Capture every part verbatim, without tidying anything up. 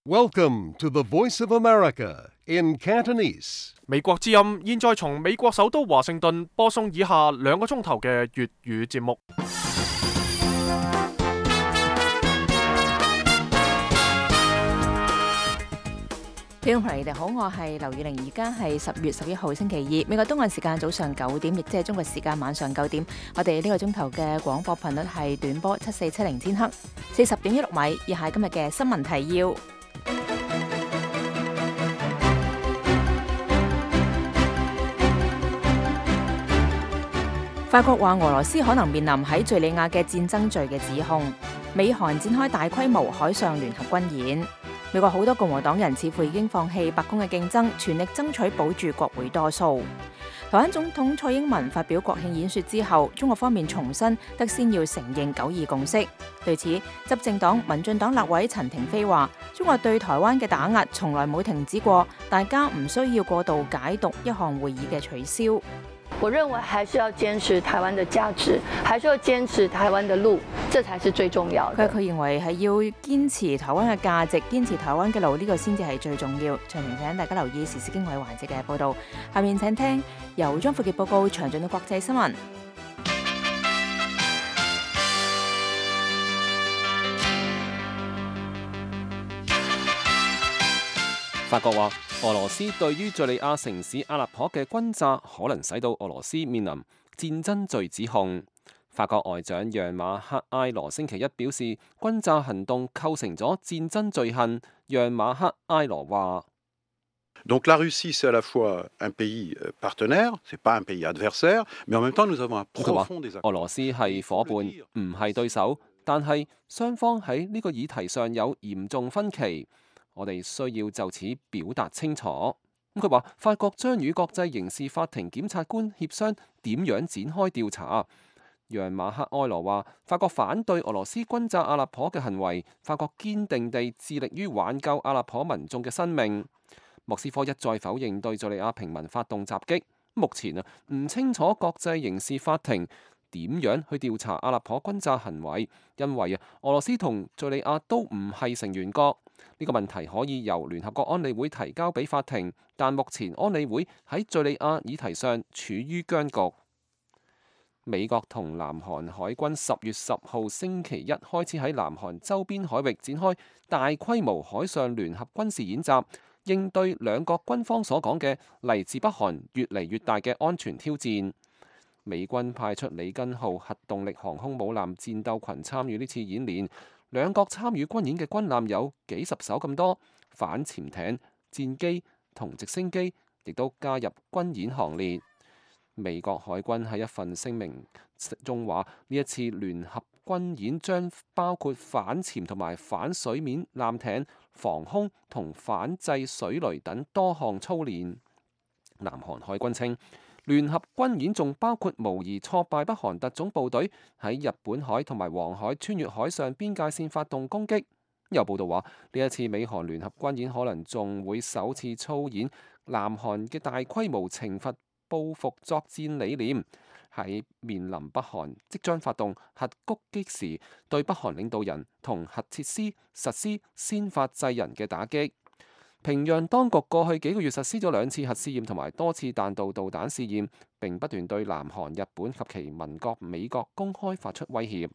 Welcome to the Voice of America in Cantonese. 美國之音現在從美國首都華盛頓播送以下兩個鐘頭嘅粵語節目。聽眾朋友，你哋好，我係劉宇玲，而家係十月十一號星期二，美國東岸時間早上九點，亦即係中國時間晚上九點。我哋呢個鐘頭嘅廣播頻率係短波七四七零千赫，四十點一六米。以下今日嘅新聞提要。法國話俄羅斯可能面臨喺敘利亞嘅戰爭罪嘅指控。美韓展開大規模海上聯合軍演。美國好多共和黨人似乎已經放棄白宮嘅競爭，全力爭取保住國會多數。台灣總統蔡英文發表國慶演說之後，中國方面重申得先要承認九二共識。對此，執政黨民進黨立委陳亭妃話：中國對台灣嘅打壓從來冇停止過，大家唔需要過度解讀一項會議嘅取消。我認為還是要堅持台灣的價值，還是要堅持台灣的路，這才是最重要的。佢佢認為係要堅持台灣嘅價值，堅持台灣嘅路，呢個先至係最重要。詳情請大家留意時事經緯環節嘅報導。下面請聽由張富傑報告詳盡嘅國際新聞。法國話，俄羅斯對於敘利亞城市阿勒頗嘅轟炸，可能使到俄羅斯面臨戰爭罪指控。法國外長讓馬克埃羅星期一表示，轟炸行動構成咗戰爭罪行。讓馬克埃羅話Donc la Russie, c'est à la fois un pays partenaire, c'est pas un pays adversaire, mais en même temps nous avons un profond désaccord。俄羅斯係伙伴，唔係對手，但係雙方喺呢個議題上有嚴重分歧。我哋需要就此表達清楚。咁佢話，法國將與國際刑事法庭檢察官協商點樣展開調查。讓馬克埃羅話，法國反對俄羅斯轟炸阿勒頗嘅行為，法國堅定地致力於挽救阿勒頗民眾嘅生命。莫斯科一再否認對敘利亞平民發動襲擊。目前啊，唔清楚國際刑事法庭點樣去調查阿勒頗轟炸行為，因為啊，俄羅斯同敘利亞都唔係成員國。呢個問題可以由聯合國安理會提交俾法庭，但目前安理會喺敘利亞議題上處於僵局。美國同南韓海軍十月十號星期一開始喺南韓周邊海域展開大規模海上聯合軍事演習，應對兩國軍方所講嘅嚟自北韓越嚟越大嘅安全挑戰。美軍派出里根號核動力航空母艦戰鬥群參與呢次演練。兩國參與軍演嘅軍艦有幾十艘咁多，反潛艇、戰機同直升機亦都加入軍演行列。美國海軍喺一份聲明中話，呢一次聯合軍演將包括反潛同埋反水面艦艇、防空同反制水雷等多項操練。南韓海軍稱，聯合軍演仲包括模擬挫敗北韓特種部隊喺日本海同埋黃海穿越海上邊界線發動攻擊。有報道話，呢一次美韓聯合軍演可能仲會首次操演南韓嘅大規模懲罰報復作戰理念，喺面臨北韓即將發動核攻擊時，對北韓領導人同核設施實施先發制人嘅打擊。平壤當局過去幾個月實施咗兩次核試驗同埋多次彈道導彈試驗，並不斷對南韓、日本及其盟國美國公開發出威脅。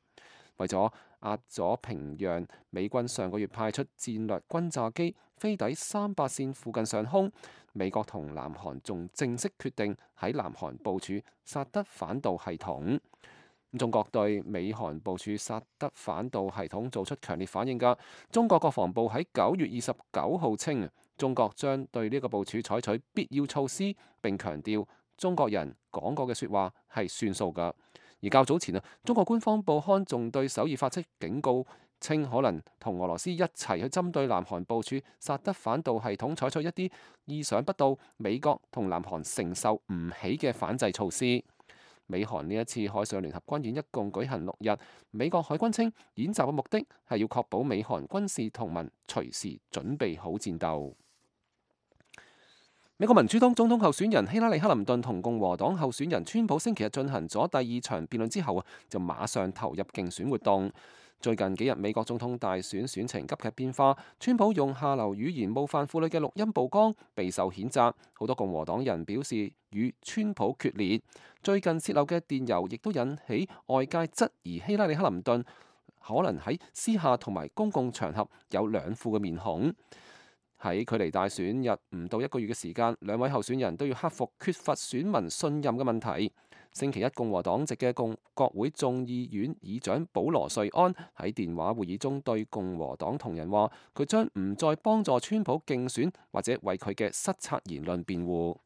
為咗壓咗平壤，美軍上個月派出戰略轟炸機飛抵三八線附近上空。美國同南韓仲正式決定喺南韓部署薩德反導系統。中國對美韓部署薩德反導系統做出強烈反應㗎。中國國防部喺九月二十九號稱，中國將對呢個部署採取必要措施，並強調中國人講過嘅説話係算數㗎。而較早前啊，中國官方報刊仲對首爾發出警告，稱可能同俄羅斯一齊去針對南韓部署薩德反導系統採取一啲意想不到、美國同南韓承受唔起嘅反制措施。美韓呢一次海上聯合軍演一共舉行六日，美國海軍稱演習嘅目的係要確保美韓軍事同盟隨時準備好戰鬥。美國民主黨總統候選人希拉里·克林頓同共和黨候選人川普星期日進行咗第二場辯論之後啊，就馬上投入競選活動。最近幾日美國總統大選選情急劇變化，川普用下流語言冒犯婦女嘅錄音曝光，備受譴責。好多共和黨人表示與川普決裂。最近泄漏嘅電郵亦都引起外界質疑希拉里克林頓可能喺私下同埋公共場合有兩副嘅面孔。喺距離大選日唔到一個月嘅時間，兩位候選人都要克服缺乏選民信任嘅問題。星期一，共和黨籍嘅共國會眾議院議長保羅瑞安喺電話會議中對共和黨同仁話，佢將唔再幫助川普競選或者為佢嘅失策言論辯護。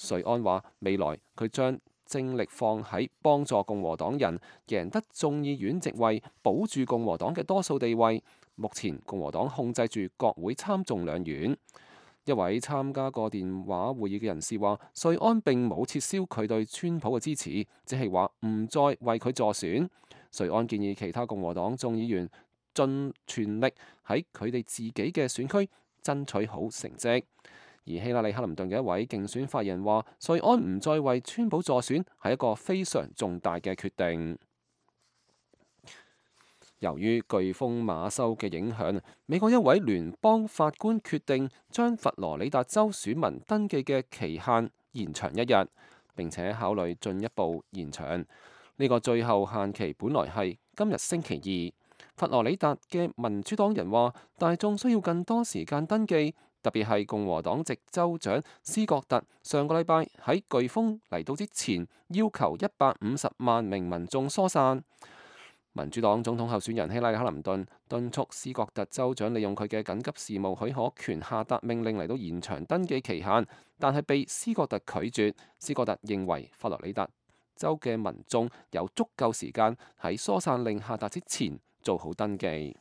瑞安話，未來佢將精力放喺幫助共和黨人贏得眾議院席位，保住共和黨嘅多數地位。目前共和黨控制住國會參眾兩院。一位參加過電話會議嘅人士話，瑞安並冇撤銷佢對川普嘅支持，只係話唔再為佢助選。瑞安建議其他共和黨眾議員盡全力喺佢哋自己嘅選區爭取好成績。而希拉里克林頓嘅一位競選發言人話，瑞安唔再為川普助選係一個非常重大嘅決定。由於颶風馬修嘅影響，美國一位聯邦法官決定將佛羅里達州選民登記嘅期限延長一日，並且考慮進一步延長。呢個最後限期本來係今日星期二。佛羅里達嘅民主黨人話，大眾需要更多時間登記，特別係共和黨籍州長斯葛特上個禮拜喺颶風嚟到之前要求一百五十萬名民眾疏散。民主黨總統候選人希拉里克林頓敦促斯葛特州長利用佢嘅緊急事務許可權下達命令嚟到延長登記期限，但係被斯葛特拒絕。斯葛特認為佛羅里達州嘅民眾有足夠時間喺疏散令下達之前做好登記。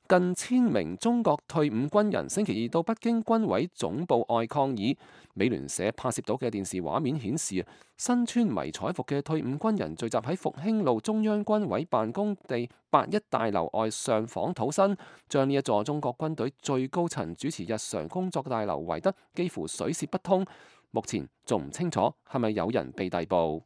近千名中國退伍軍人星期二到北京軍委總部外抗議。美聯社拍攝到嘅電視畫面顯示，身穿迷彩服嘅退伍軍人聚集喺復興路中央軍委辦公地八一大樓外上訪土生，將呢一座中國軍隊最高層主持日常工作嘅大樓圍得幾乎水泄不通。目前仲唔清楚係咪有人被逮捕。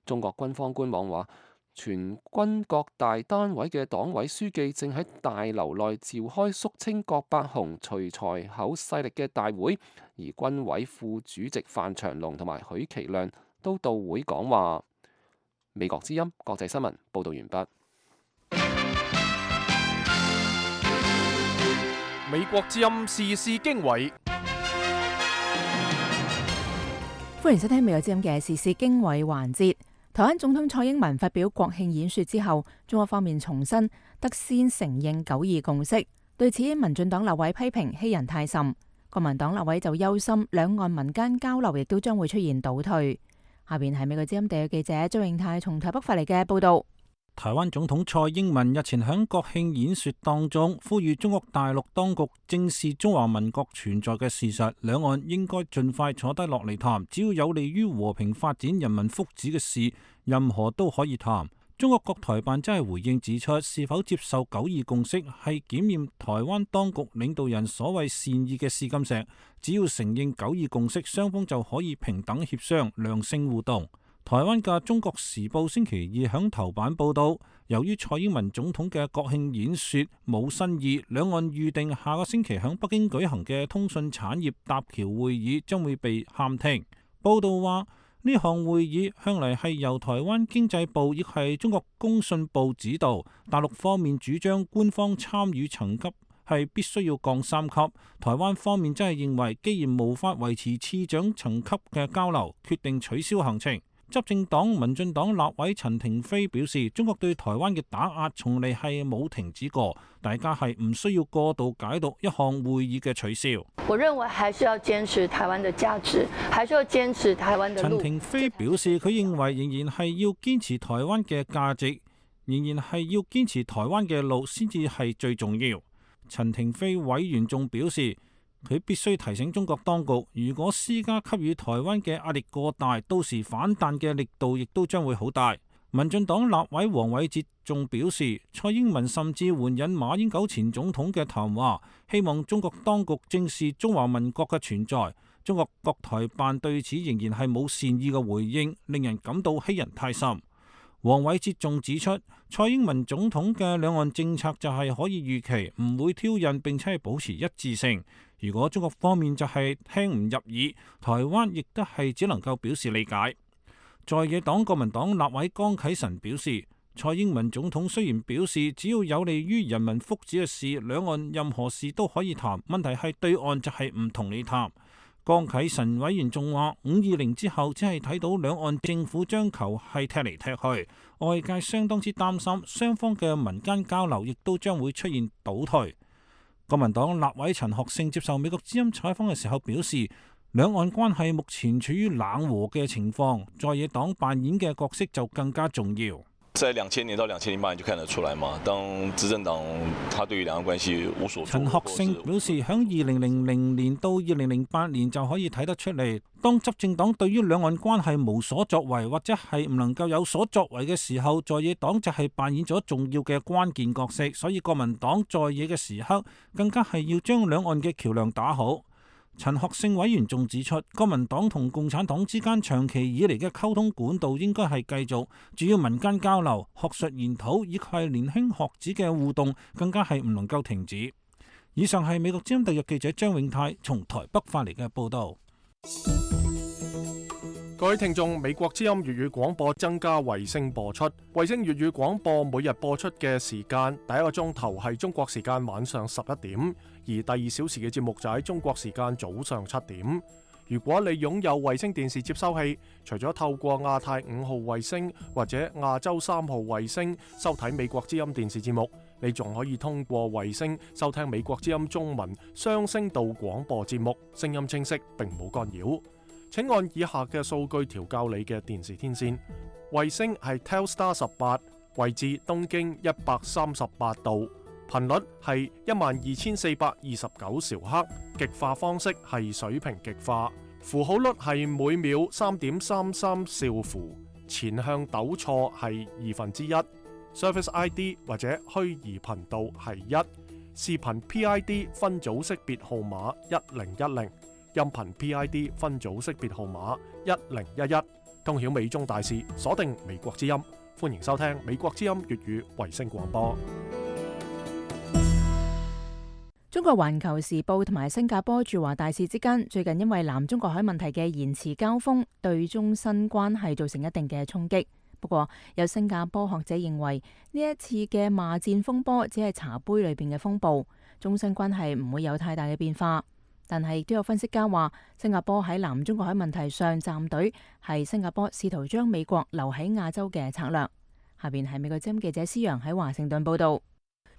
中國軍方官網話，全軍各大單位嘅黨委書記正喺大樓內召開肅清郭伯雄、徐才厚勢力嘅大會，而軍委副主席范長龍同埋許其亮都到會講話。美國之音國際新聞報道完畢。美國之音時事經緯，歡迎收聽美國之音嘅時事經緯環節。台灣總統蔡英文發表國慶演說之後，中國方面重申得先承認九二共識。對此，民進黨立委批評欺人太甚，國民黨立委就憂心兩岸民間交流亦都將會出現倒退。下邊係美國之音地記者張永泰從台北發嚟嘅報道。台灣總統蔡英文日前喺國慶演說當中呼籲中國大陸當局正視中華民國存在嘅事實，兩岸應該盡快坐低落嚟談，只要有利於和平發展、人民福祉嘅事，任何都可以談。中國國台辦真係回應指出，是否接受九二共識係檢驗台灣當局領導人所謂善意嘅試金石，只要承認九二共識，雙方就可以平等協商、良性互動。台灣嘅《中國時報》星期二響頭版報道，由於蔡英文總統嘅國慶演說冇新意，兩岸預定下個星期響北京舉行嘅通訊產業搭橋會議將會被喊停。報道話，呢項會議向嚟係由台灣經濟部亦係中國工信部指導，大陸方面主張官方參與層級係必須要降三級。台灣方面真係認為，既然無法維持次長層級嘅交流，決定取消行程。執政黨民進黨立委陳亭妃表示，中國對台灣嘅打壓從嚟係冇停止過，大家係唔需要過度解讀一項會議嘅取消。我認為還是要堅持台灣的價值，還是要堅持台灣的路。陳亭妃表示，佢認為仍然係要堅持台灣嘅價值，仍然係要堅持台灣嘅路先至係最重要。陳亭妃委員仲表示，佢必須提醒中國當局，如果施加給予台灣嘅壓力過大，到時反彈嘅力度亦都將會好大。民進黨立委黃偉哲仲表示，蔡英文甚至援引馬英九前總統嘅談話，希望中國當局正視中華民國嘅存在。中國國台辦對此仍然係冇善意嘅回應，令人感到欺人太甚。黃偉哲仲指出，蔡英文總統嘅兩岸政策就係可以預期，唔會挑釁，並且係保持一致性。如果中國方面就係聽唔入耳，台灣亦都係只能夠表示理解。在野黨國民黨立委江啟臣表示，蔡英文總統雖然表示只要有利於人民福祉嘅事，兩岸任何事都可以談，問題係對岸就係唔同你談。江啟臣委員仲話，五二零之後只係睇到兩岸政府將球係踢嚟踢去，外界相當之擔心，雙方嘅民間交流亦都將會出現倒退。國民黨立委陳學聖接受美國之音採訪嘅時候表示，兩岸關係目前處於冷和嘅情況，在野黨扮演嘅角色就更加重要。在兩千年到兩千零八年就看得出來嘛，當執政黨他對於兩岸關係無所作為。陳學聖表示，響二零零零年到二零零八年就可以睇得出嚟，當執政黨對於兩岸關係無所作為或者係唔能夠有所作為嘅時候，在野黨就係扮演咗重要嘅關鍵角色，所以國民黨在野嘅時刻更加係要將兩岸嘅橋樑打好。陳學聖委員仲指出，國民黨同共產黨之間長期以嚟嘅溝通管道應該係繼續，主要民間交流、學術研討以及係年輕學子嘅互動，更加係唔能夠停止。以上係美國之音特約記者張永泰從台北發嚟嘅報道。各位聽眾，美國之音粵語廣播增加衛星播出，衛星粵語廣播每日播出嘅時間，第一個鐘頭係中國時間晚上十一點，而第二小時嘅節目就喺中國時間早上七點。如果你擁有衛星電視接收器，除咗透過亞太五號衛星或者亞洲三號衛星收睇美國之音電視節目，你仲可以通過衛星收聽美國之音中文雙聲道廣播節目，聲音清晰並冇干擾。請按以下嘅數據調校你嘅電視天線。衛星係 Telstar 十八，位置東經一百三十八度，頻率係一萬二千四百二十九兆赫，極化方式係水平極化，符號率係每秒三點三三兆符，前向抖錯係二分之一，Service I D 或者虛擬頻道係一，視頻 P I D 分組識別號碼一零一零。音頻 P I D 分組識別號碼一零一一，通曉美中大事，鎖定美國之音，歡迎收聽美國之音粵語衛星廣播。中國環球時報同埋新加坡駐華大使之間最近因為南中國海問題嘅言辭交鋒，對中新關係造成一定嘅衝擊。不過有新加坡學者認為呢一次嘅罵戰風波只係茶杯裏邊嘅風暴，中新關係唔會有太大嘅變化。但係亦都有分析家話，新加坡喺南中國海問題上站隊，係新加坡試圖將美國留喺亞洲嘅策略。下邊係美國之音記者施陽喺華盛頓報道。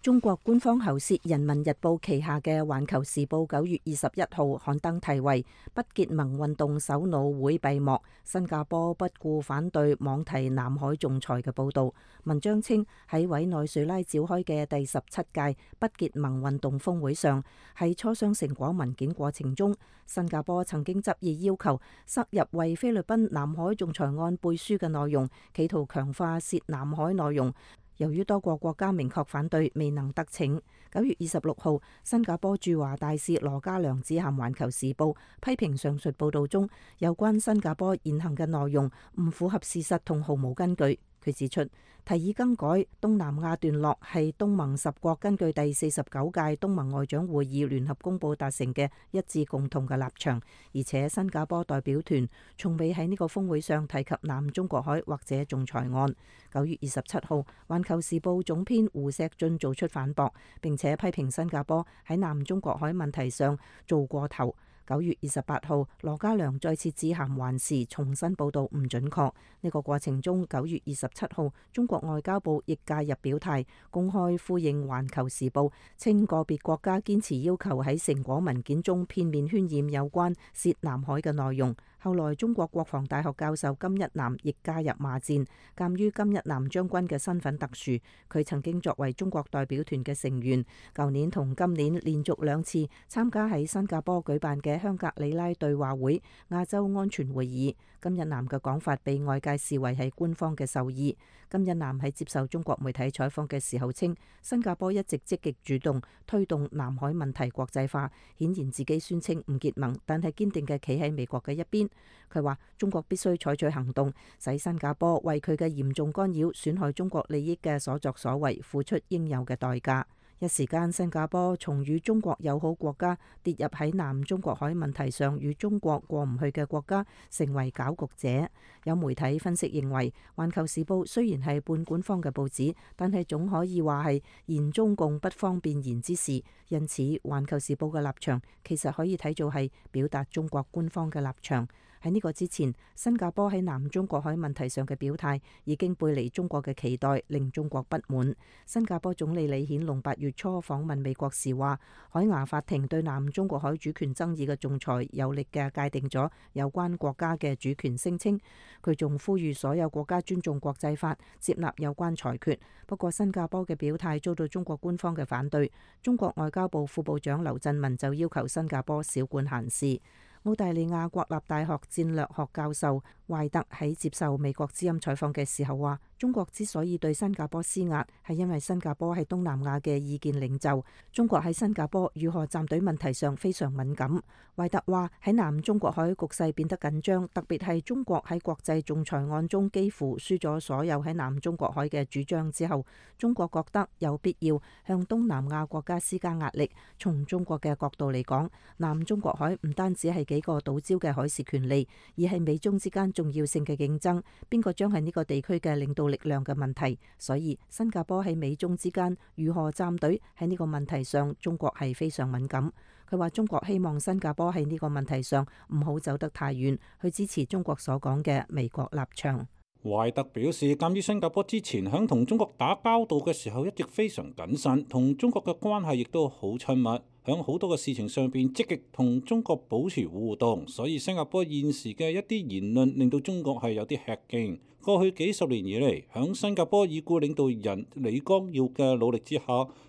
中國官方喉舌《人民日報》旗下嘅《環球時報》九月二十一號刊登題為《不結盟運動首腦會閉幕，新加坡不顧反對妄提南海仲裁》嘅報道。文章稱喺委內瑞拉召開嘅第十七屆不結盟運動峰會上，喺磋商成果文件過程中，新加坡曾經執意要求塞入為菲律賓南海仲裁案背書嘅內容，企圖強化涉南海內容。由於多個國家明確反對，未能得逞。九月二十六號，新加坡駐華大使羅家良致函《環球時報》，批評上述報導中有關新加坡言行嘅內容唔符合事實同毫無根據。佢指出，提議更改東南亞段落係東盟十國根據第四十九屆東盟外長會議聯合公報達成嘅一致共同嘅立場，而且新加坡代表團從未喺呢個峰會上提及南中國海或者仲裁案。九月二十七號，《環球時報》總編胡錫進做出反駁，並且批評新加坡喺南中國海問題上做過頭。九月二十八號，羅家良再次致函環時，重新報導唔準確。呢個過程中，九月二十七號，中國外交部亦介入表態，公開呼應《環球時報》，稱個別國家堅持要求喺成果文件中片面渲染有關涉南海嘅內容。後來，中國國防大學教授金一南亦加入罵戰。鑑於金一南將軍嘅身份特殊，佢曾經作為中國代表團嘅成員，舊年同今年連續兩次參加喺新加坡舉辦嘅香格里拉對話會亞洲安全會議。金一南嘅講法被外界視為係官方嘅授意。金一南喺接受中國媒體採訪嘅時候稱，新加坡一直積極主動推動南海問題國際化，顯然自己宣稱唔結盟，但係堅定嘅企喺美國嘅一邊。佢話中國必須採取行動，使新加坡為佢嘅嚴重干擾、損害中國利益嘅所作所為付出應有嘅代價。一時間，新加坡從與中國友好國家跌入喺南中國海問題上與中國過唔去嘅國家，成為攪局者。有媒體分析認為，《環球時報》雖然係半官方嘅報紙，但係總可以話係言中共不方便言之事。因此，《環球時報》嘅立場其實可以睇做係表達中國官方嘅立場。喺呢個之前，新加坡喺南中國海問題上嘅表態已經背離中國嘅期待，令中國不滿。新加坡總理李顯龍八月初訪問美國時話，海牙法庭對南中國海主權爭議嘅仲裁有力嘅界定咗有關國家嘅主權聲稱。佢仲呼籲所有國家尊重國際法，接納有關裁決。不過新加坡嘅表態遭到中國官方嘅反對。中國外交部副部長劉振民就要求新加坡少管閒事。澳大利亞國立大學戰略學教授懷特喺接受美國之音採訪嘅時候話，中國之所以對新加坡施壓，係因為新加坡係東南亞嘅意見領袖，中國喺新加坡如何站隊問題上非常敏感。懷特話喺南中國海局勢變得緊張，特別係中國喺國際仲裁案中幾乎輸咗所有喺南中國海嘅主張之後，中國覺得有必要向東南亞國家施加壓力。從中國嘅角度嚟講，南中國海唔單止係幾個島礁嘅海事權利，而係美中之間重要性嘅競爭，邊個將係呢個地區嘅領導力量嘅問題。所以新加坡喺美中之間如何站隊喺呢個問題上，中國係非常敏感。佢話中國希望新加坡喺呢個問題上唔好走得太遠，去支持中國所講嘅美國立場。懷特表示，鑑於新加坡之前響同中國打交道嘅時候一直非常謹慎，同中國嘅關係亦都好親密，響好多嘅事情上邊積極同中國保持互動，所以新加坡現時嘅一啲言論令到中國係有啲吃驚。過去幾十年以嚟，響新加坡已故領導人李光耀嘅努力之下，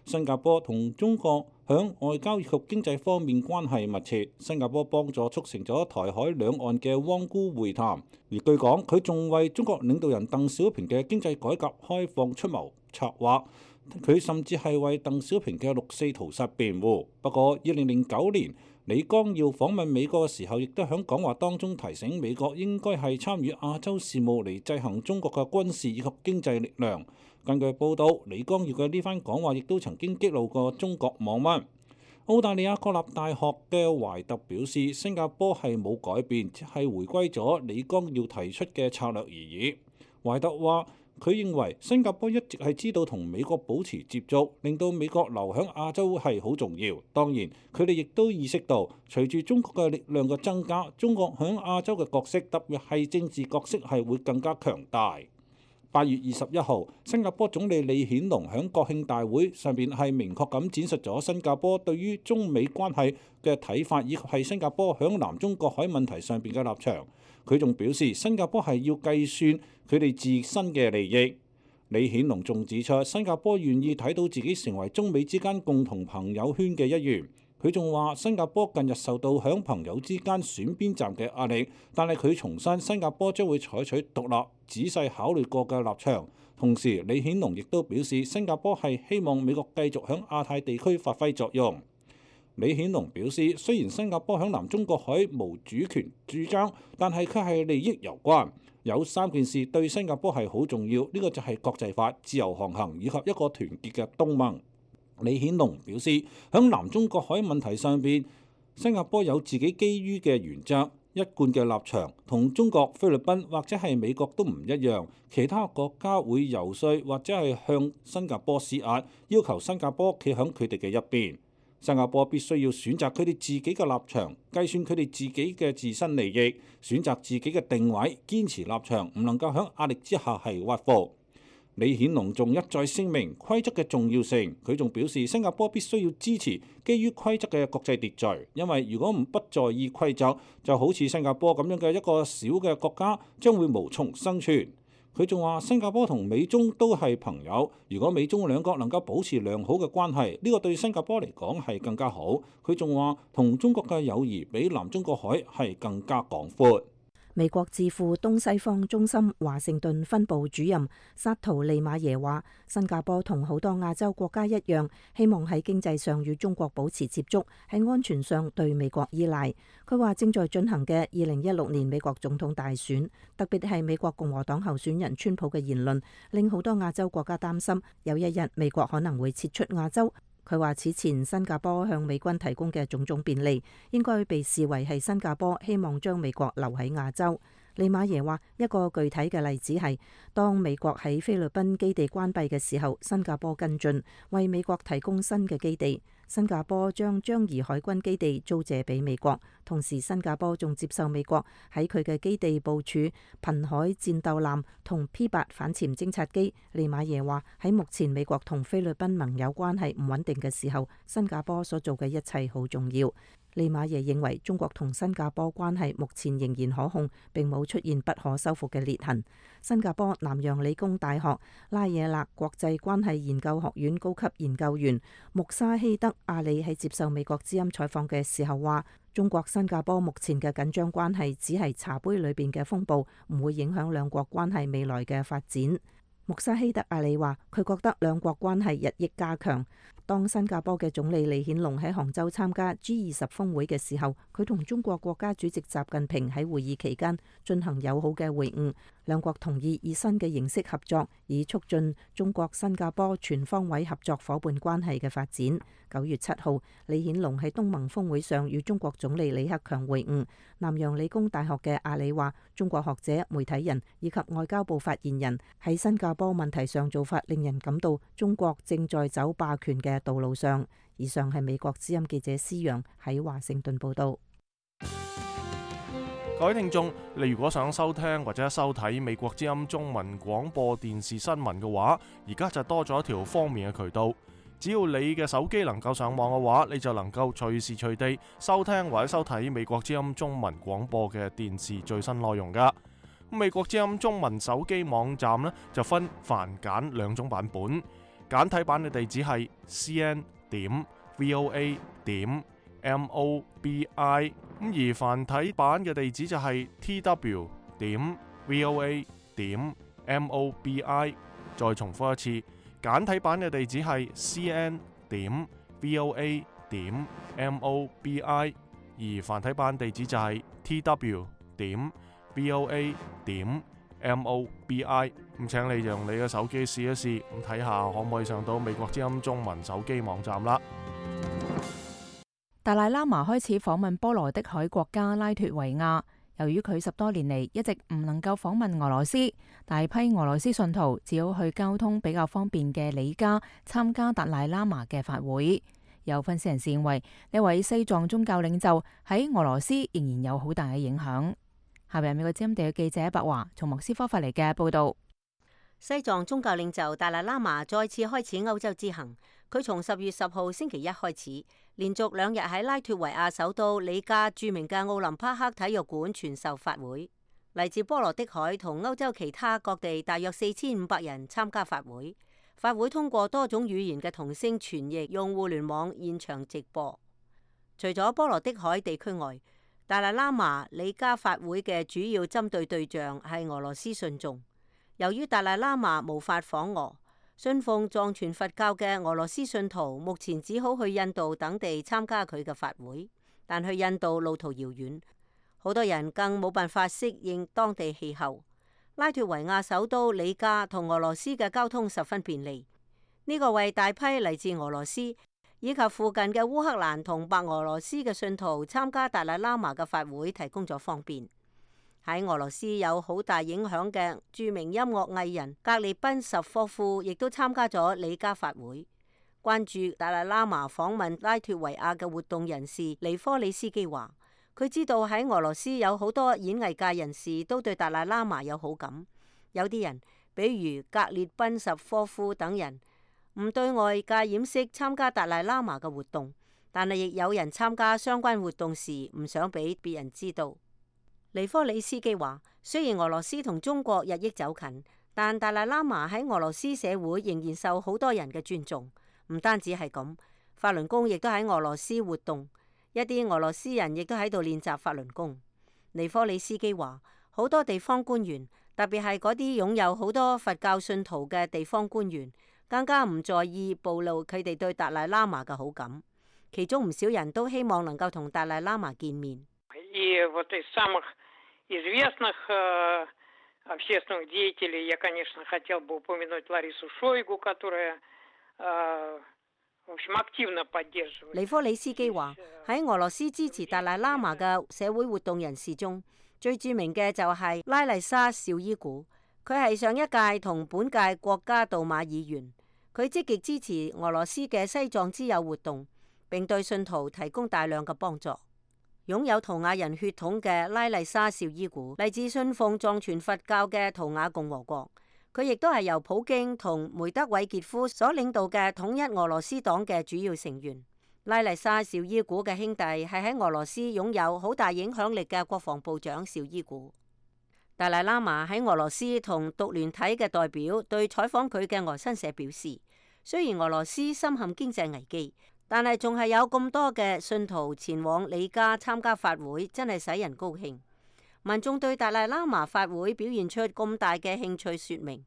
新加坡同中國響外交以及經濟方面關係密切。新加坡幫助促成咗台海兩岸嘅汪辜會談，而據講佢仲為中國領導人鄧小平嘅經濟改革開放出謀策劃。佢甚至係為鄧小平嘅六四屠殺辯護。不過，二零零九年李光耀訪問美國嘅時候，亦都喺講話當中提醒美國應該係參與亞洲事務嚟制衡中國嘅軍事以及經濟力量。根據報道，李光耀嘅呢番講話亦都曾經激怒過中國網民。澳大利亞國立大學嘅懷特表示，新加坡係冇改變，只係回歸咗李光耀提出嘅策略而已。懷特話，佢認為新加坡一直係知道同美國保持接觸，令到美國留喺亞洲係好重要。當然，佢哋亦都意識到，隨住中國嘅力量嘅增加，中國喺亞洲嘅角色，特別係政治角色係會更加強大。八月二十一號，新加坡總理李顯龍喺國慶大會上邊係明確咁展示咗新加坡對於中美關係嘅睇法，以及係新加坡喺南中國海問題上邊嘅立場。佢仲表示，新加坡係要計算佢哋自身嘅利益。李顯龍仲指出，新加坡願意睇到自己成為中美之間共同朋友圈嘅一員。佢仲話，新加坡近日受到響朋友之間選邊站嘅壓力，但係佢重申新加坡將會採取獨立、仔細考慮過嘅立場。同時，李顯龍亦都表示，新加坡係希望美國繼續響亞太地區發揮作用。李顯龍表示，雖然新加坡響南中國海無主權主張，但係佢係利益攸關。有三件事對新加坡係好重要，呢、這個就係國際法、自由航行以及一個團結嘅東盟。李顯龍表示，響南中國海問題上邊，新加坡有自己基於嘅原則、一貫嘅立場，同中國、菲律賓或者係美國都唔一樣。其他國家會游說或者係向新加坡施壓，要求新加坡企響佢哋嘅一邊。新加坡必須要選擇佢哋自己嘅立場，計算佢哋自己嘅自身利益，選擇自己嘅定位，堅持立場，唔能夠喺壓力之下係屈服。李顯龍仲一再聲明規則嘅重要性，佢仲表示新加坡必須要支持基於規則嘅國際秩序，因為如果唔不在意規則，就好似新加坡咁樣嘅一個小嘅國家，將會無從生存。佢仲話新加坡同美中都係朋友，如果美中兩國能夠保持良好嘅關係，呢個對新加坡嚟講係更加好。佢仲話同中國嘅友誼比南中國海係更加廣闊。美國智庫東西方中心華盛頓分部主任薩圖利馬耶話，新加坡同好多亞洲國家一樣，希望喺經濟上與中國保持接觸，喺安全上對美國依賴。佢話正在進行嘅二零一六年美國總統大選，特別係美國共和黨候選人川普嘅言論，令好多亞洲國家擔心有一日美國可能會撤出亞洲。佢話此前新加坡向美軍提供嘅種種便利，應該被視為係新加坡希望將美國留喺亞洲。利馬耶話，一個具體嘅例子係，當美國喺菲律賓基地關閉嘅時候，新加坡跟進，為美國提供新嘅基地。新加坡將樟宜海軍基地租借俾美國，同時新加坡仲接受美國喺佢嘅基地部署瀕海戰鬥艦同 P 八反潛偵察機。利馬耶話，喺目前美國同菲律賓盟友關係唔穩定嘅時候，新加坡所做嘅一切好重要。利馬耶認為中國同新加坡關係目前仍然可控，並冇出現不可修復嘅裂痕。新加坡南洋理工大學拉惹勒國際關係研究學院高級研究員穆沙希德阿里喺接受美國之音採訪嘅時候話，中國新加坡目前嘅緊張關係只係茶杯裏邊嘅風暴，唔會影響兩國關係未來嘅發展。穆沙希德阿里話，佢覺得兩國關係日益加強。當新加坡嘅總理李顯龍喺杭州參加 G 二十峰會嘅時候，佢同中國國家主席習近平喺會議期間進行友好嘅會晤，兩國同意以新嘅形式合作，以促進中國新加坡全方位合作伙伴關係嘅發展。九月七號，李顯龍喺東盟峰會上與中國總理李克強會晤。南洋理工大學嘅阿里話，中國學者、媒體人以及外交部發言人喺新加坡問題上做法，令人感到中國正在走霸權嘅道路上。以上係美國之音記者施陽喺華盛頓報道。各位聽眾，你如果想收聽或者收睇美國之音中文廣播電視新聞嘅話，而家就多咗一條方便嘅渠道。只要你嘅手機能夠上網嘅話，你就能夠隨時隨地收聽或者收睇美國之音中文廣播嘅電視最新內容噶。美國之音中文手機網站呢，就分繁簡兩種版本，簡體版嘅地址係 c n 點 v o a 點 m o b i， 咁而繁體版嘅地址就係 t w 點 v o a 點 m o b i。再重複一次，簡體版嘅地址係 c n 點 v o a 點 m o b i， 而繁體版地址就係 t w 點 v o a 點 m o b i。 咁請你用你嘅手機試一試，咁睇下可唔可以上到美國之音中文手機網站啦。達賴喇嘛開始訪問波羅的海國家拉脫維亞，由於佢十多年嚟一直唔能夠訪問俄羅斯，大批俄羅斯信徒只好去交通比較方便嘅里加參加達賴喇嘛嘅法會。有分析人士認為，呢位西藏宗教領袖喺俄羅斯仍然有好大嘅影響。下邊美國之音地嘅記者白華從莫斯科發嚟嘅報道。西藏宗教領袖達賴喇嘛再次開始歐洲之行，佢從十月十號星期一開始，連續兩日喺拉脫維亞首都里加著名嘅奧林匹克體育館傳授法會。嚟自波羅的海同歐洲其他各地大約四千五百人參加法會。法會通過多種語言嘅同聲傳譯，用互聯網現場直播。除咗波羅的海地區外，達賴喇嘛里加法會嘅主要針對對象係俄羅斯信眾。由於達賴喇嘛無法訪俄，信奉藏傳佛教嘅俄羅斯信徒目前只好去印度等地參加佢嘅法會，但去印度路途遙遠，好多人更冇辦法適應當地氣候。拉脫維亞首都里加同俄羅斯嘅交通十分便利，呢、這個為大批嚟自俄羅斯以及附近嘅烏克蘭同白俄羅斯嘅信徒參加達賴喇嘛嘅法會提供咗方便。喺俄羅斯有好大影響嘅著名音樂藝人格列賓什科夫亦都參加咗里加法會。關注達賴喇嘛訪問拉脫維亞嘅活動人士尼科里斯基話，佢知道喺俄羅斯有好多演藝界人士都對達賴喇嘛有好感，有啲人比如格列賓什科夫等人唔對外界掩飾參加達賴喇嘛嘅活動，但係亦有人參加相關活動時唔想俾別人知道。尼科里斯基話，雖然俄羅斯同中國日益走近，但達賴喇嘛喺俄羅斯社會仍然受好多人嘅尊重。唔單止係咁，法輪功亦都喺俄羅斯活動，一啲俄羅斯人亦都喺度練習法輪功。尼科里斯基話，好多地方官員，特別係嗰啲擁有好多佛教信徒嘅地方官員，更加唔在意暴露佢哋對達賴喇嘛嘅好感。其中唔少人都希望能夠同達賴喇嘛見面。尼科里斯基話：喺俄羅斯支持達賴喇嘛嘅社會活動人士中，最著名嘅就係拉麗莎紹伊古。佢係上一屆同本屆國家杜馬議員，佢積極支持俄羅斯嘅西藏之友活動，並對信徒提供大量嘅幫助。擁有圖瓦人血統嘅拉麗莎紹伊古嚟自信奉藏傳佛教嘅圖瓦共和國，佢亦都係由普京同梅德韋傑夫所領導嘅統一俄羅斯黨嘅主要成員。拉麗莎紹伊古嘅兄弟係喺俄羅斯擁有好大影響力嘅國防部長紹伊古。達賴喇嘛喺俄羅斯同獨聯體嘅代表對採訪佢嘅俄新社表示，雖然俄羅斯深陷經濟危機，但係仲係有咁多嘅信徒前往里加參加法會，真係使人高興。民眾對達賴喇嘛法會表現出咁大嘅興趣，說明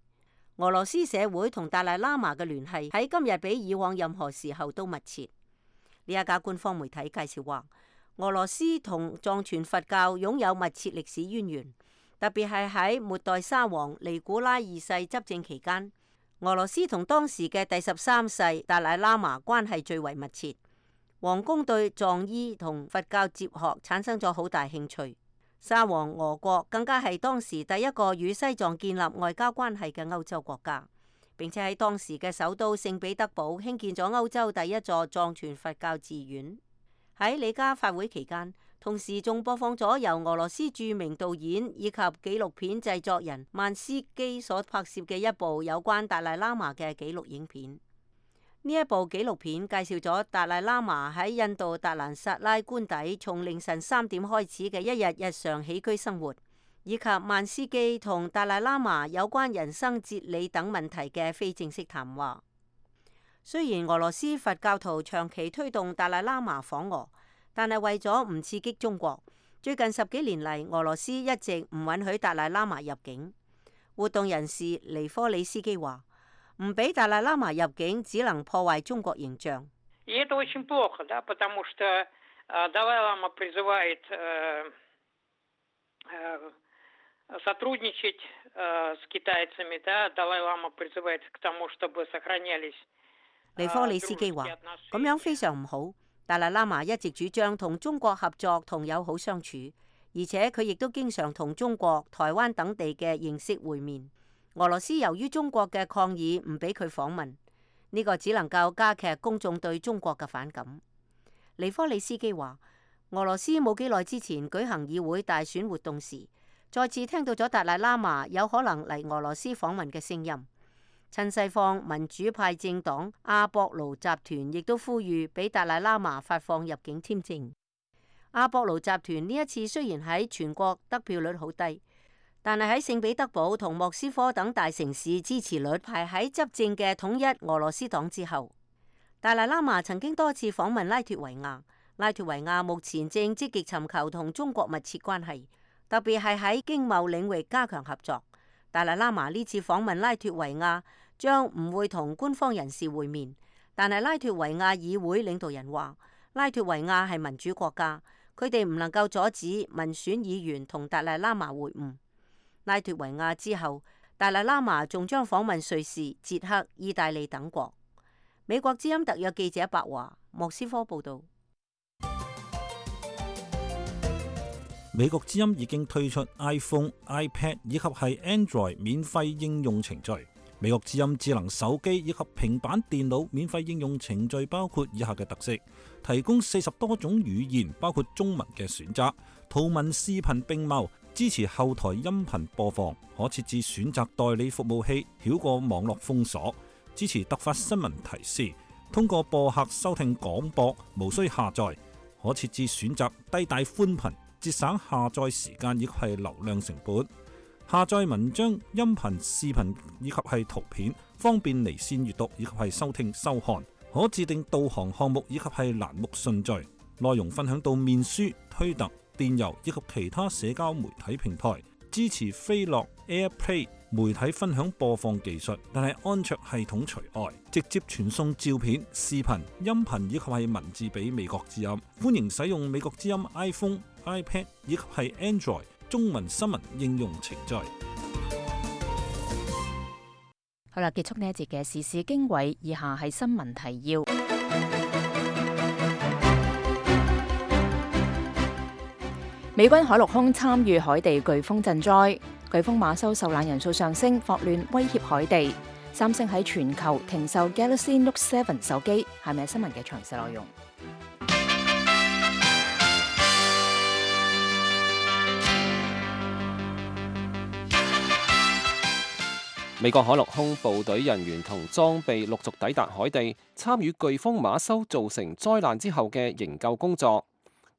俄羅斯社會同達賴喇嘛嘅聯繫喺今日比以往任何時候都密切。呢一家官方媒體介紹話，俄羅斯同藏傳佛教擁有密切歷史淵源，特別係喺末代沙皇尼古拉二世執政期間，俄羅斯同當時嘅第十三世達賴喇嘛關係最為密切。皇宮對藏醫同佛教哲學產生咗好大興趣。沙皇俄國更加係當時第一個與西藏建立外交關係嘅歐洲國家，並且喺當時嘅首都聖彼得堡興建咗歐洲第一座藏傳佛教寺院。喺里加法會期間，同時仲播放咗由俄羅斯著名導演以及紀錄片製作人曼斯基所拍攝嘅一部有關達賴喇嘛嘅紀錄影片。呢一部紀錄片介紹咗達賴喇嘛喺印度達蘭薩拉官邸從凌晨三點開始嘅一日日常起居生活，以及曼斯基同達賴喇嘛有關人生哲理等問題嘅非正式談話。雖然俄羅斯佛教徒長期推動達賴喇嘛訪俄，但係為咗唔刺激中國，最近十幾年嚟，俄羅斯一直唔允許達賴喇嘛入境。活動人士尼科里斯基話：唔俾達賴喇嘛入境，只能破壞中國形象。尼科里斯基話：咁樣非常唔好。達賴喇嘛一直主張同中國合作同友好相處，而且佢亦都經常同中國、台灣等地嘅認識會面。俄羅斯由於中國嘅抗議唔俾佢訪問，呢個只能夠加劇公眾對中國嘅反感。尼科里斯基話：俄羅斯冇幾耐之前舉行議會大選活動時，再次聽到咗達賴喇嘛有可能嚟俄羅斯訪問嘅聲音。親西方民主派政黨阿博盧集團亦都呼籲俾達賴喇嘛發放入境簽證。阿博盧集團呢一次雖然喺全國得票率好低，但係喺聖彼得堡同莫斯科等大城市支持率排喺執政嘅統一俄羅斯黨之後。達賴喇嘛曾經多次訪問拉脫維亞，拉脫維亞目前正積極尋求同中國密切關係，特別係喺經貿領域加強合作。達賴喇嘛呢次訪問拉脫維亞將唔會同官方人士會面，但係拉脫維亞議會領導人話，拉脫維亞係民主國家，佢哋唔能夠阻止民選議員同達賴喇嘛會晤。拉脫維亞之後，達賴喇嘛仲將訪問瑞士、捷克、意大利等國。美國之音特約記者白華，莫斯科報道。美國之音已經推出 iPhone、iPad 以及係 Android 免費應用程序。美國之音智能手機以及平板電腦免費應用程序包括以下嘅特色：提供四十多種語言，包括中文嘅選擇，圖文視頻並茂，支持後台音頻播放，可設置選擇代理服務器，繞過網絡封鎖，支持突發新聞提示，通過播客收聽廣播，無需下載，可設置選擇低帶寬頻，節省下載時間以及係流量成本。下載文章、音頻、視頻以及係圖片，方便離線閱讀以及係收聽收看。可自定導航項目以及係欄目順序。內容分享到面書、推特、電郵以及其他社交媒體平台。支持飛樂 AirPlay 媒體分享播放技術，但係安卓系統除外，直接傳送照片、視頻、音頻以及係文字俾美國之音。歡迎使用美國之音 iPhone、iPad 以及係 Android 中文新聞應用程序。好啦，結束呢一節嘅時事經緯，以下係新聞提要。美軍海陸空參與海地颶風賑災，颶風馬修受難人數上升，霍亂威脅海地。三星喺全球停售 Galaxy Note 七手機，係咪新聞嘅詳細內容？美國海陸空部隊人員同裝備陸續抵達海地，參與颶風馬修造成災難之後嘅營救工作。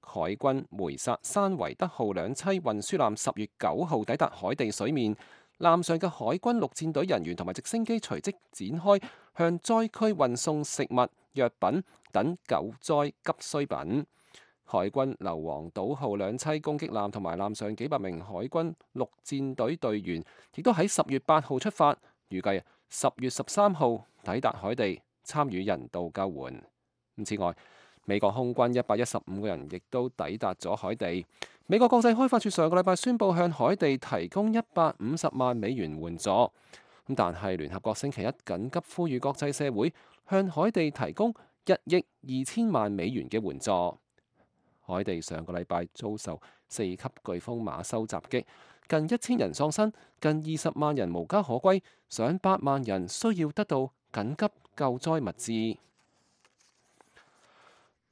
海軍梅薩山維德號兩棲運輸艦十月九號抵達海地水面，艦上嘅海軍陸戰隊人員同埋直升機隨即展開向災區運送食物、藥品等救災急需品。海軍硫磺島號兩棲攻擊艦同埋艦上幾百名海軍陸戰隊隊員，亦都喺十月八號出發，預計十月十三號抵達海地參與人道救援。此外，美國空軍一百一十五個人亦都抵達咗海地。美國國際開發署上個禮拜宣布向海地提供一百五十萬美元援助，咁但係聯合國星期一緊急呼籲國際社會向海地提供一億二千萬美元嘅援助。海地上個禮拜遭受四級颶風馬修襲擊，近一千人喪生，近二十萬人無家可歸，上百萬人需要得到緊急救災物資。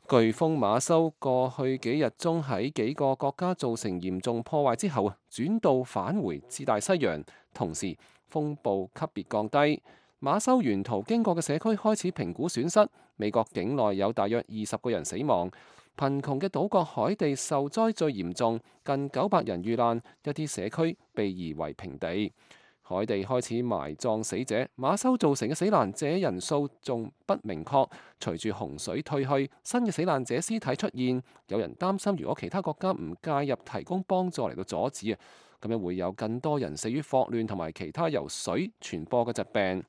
颶風馬修過去幾日中喺幾個國家造成嚴重破壞之後，轉道返回至大西洋，同時風暴級別降低。馬修沿途經過嘅社區開始評估損失，美國境內有大約二十個人死亡。貧窮嘅島國海地受災最嚴重，近九百人遇難，一啲社區被夷為平地。海地開始埋葬死者，馬修造成嘅死難者人數仲不明確。隨住洪水退去，新嘅死難者屍體出現，有人擔心如果其他國家唔介入提供幫助嚟到阻止啊，咁樣會有更多人死於霍亂同埋其他由水傳播嘅疾病。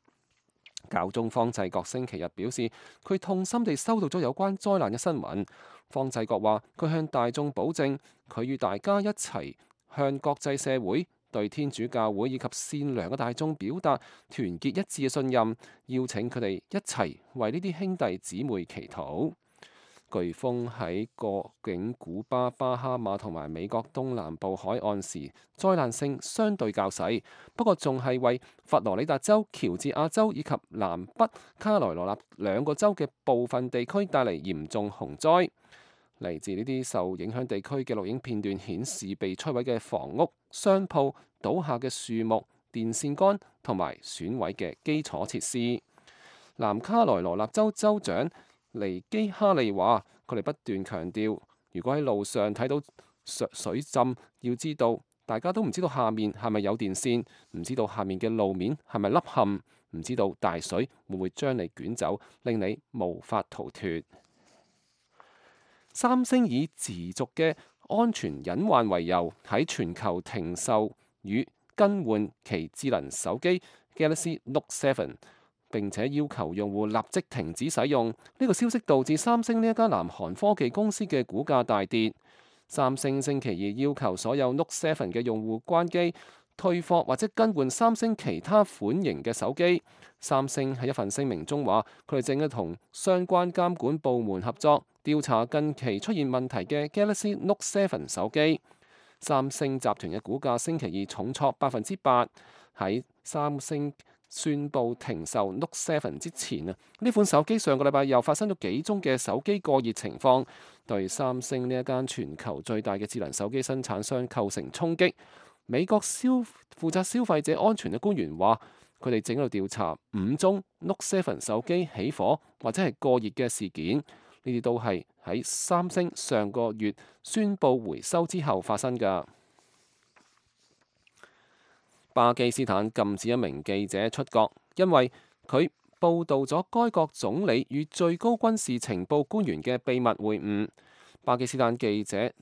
教宗方濟各星期日表示，佢痛心地收到咗有關災難嘅新聞。方濟各話，佢向大眾保證，佢與大家一齊向國際社會、對天主教會以及善良嘅大眾表達團結一致嘅信任，邀請佢哋一齊為呢啲兄弟姊妹祈禱。颶風喺過境古巴、巴哈馬同埋美國東南部海岸時，災難性相對較細，不過仲係為佛羅里達州、喬治亞州以及南北卡羅來納兩個州嘅部分地區帶嚟嚴重洪災。嚟自呢啲受影響地區嘅錄影片段顯示，被摧毀嘅房屋、商鋪、倒下嘅樹木、電線桿同埋損毀嘅基礎設施。南卡羅來納州州長尼基哈利話：佢哋不斷強調，如果喺路上睇到水浸，要知道大家都唔知道下面係咪有電線，唔知道下面嘅路面係咪凹陷，唔知道大水會唔會將你捲走，令你無法逃脫。三星以持續嘅安全隱患為由，喺全球停售與更換其智能手機 Galaxy Note 七，並且要求用戶立即停止使用。呢個消息導致三星呢一家南韓科技公司嘅股價大跌。三星星期二要求所有 Note 七嘅用戶關機、退貨或者更換三星其他款型嘅手機。三星喺一份聲明中話，佢哋正係同相關監管部門合作，調查近期出現問題嘅 Galaxy Note 七手機。三星集團嘅股價星期二重挫百分之八。喺三星宣布停售 Note 七之前啊，呢款手機上個禮拜又發生咗幾宗嘅手機過熱情況，對三星呢一間全球最大嘅智能手機生產商構成衝擊。美國消負責消費者安全嘅官員話，佢哋正喺度調查五宗 Note 七手機起火或者係過熱嘅事件，呢啲都係喺三星上個月宣布回收之後發生㗎。巴基斯坦禁止一名記者出國，因為佢報導咗該國總理與最高軍事情報官員嘅秘密會晤。巴基斯坦記者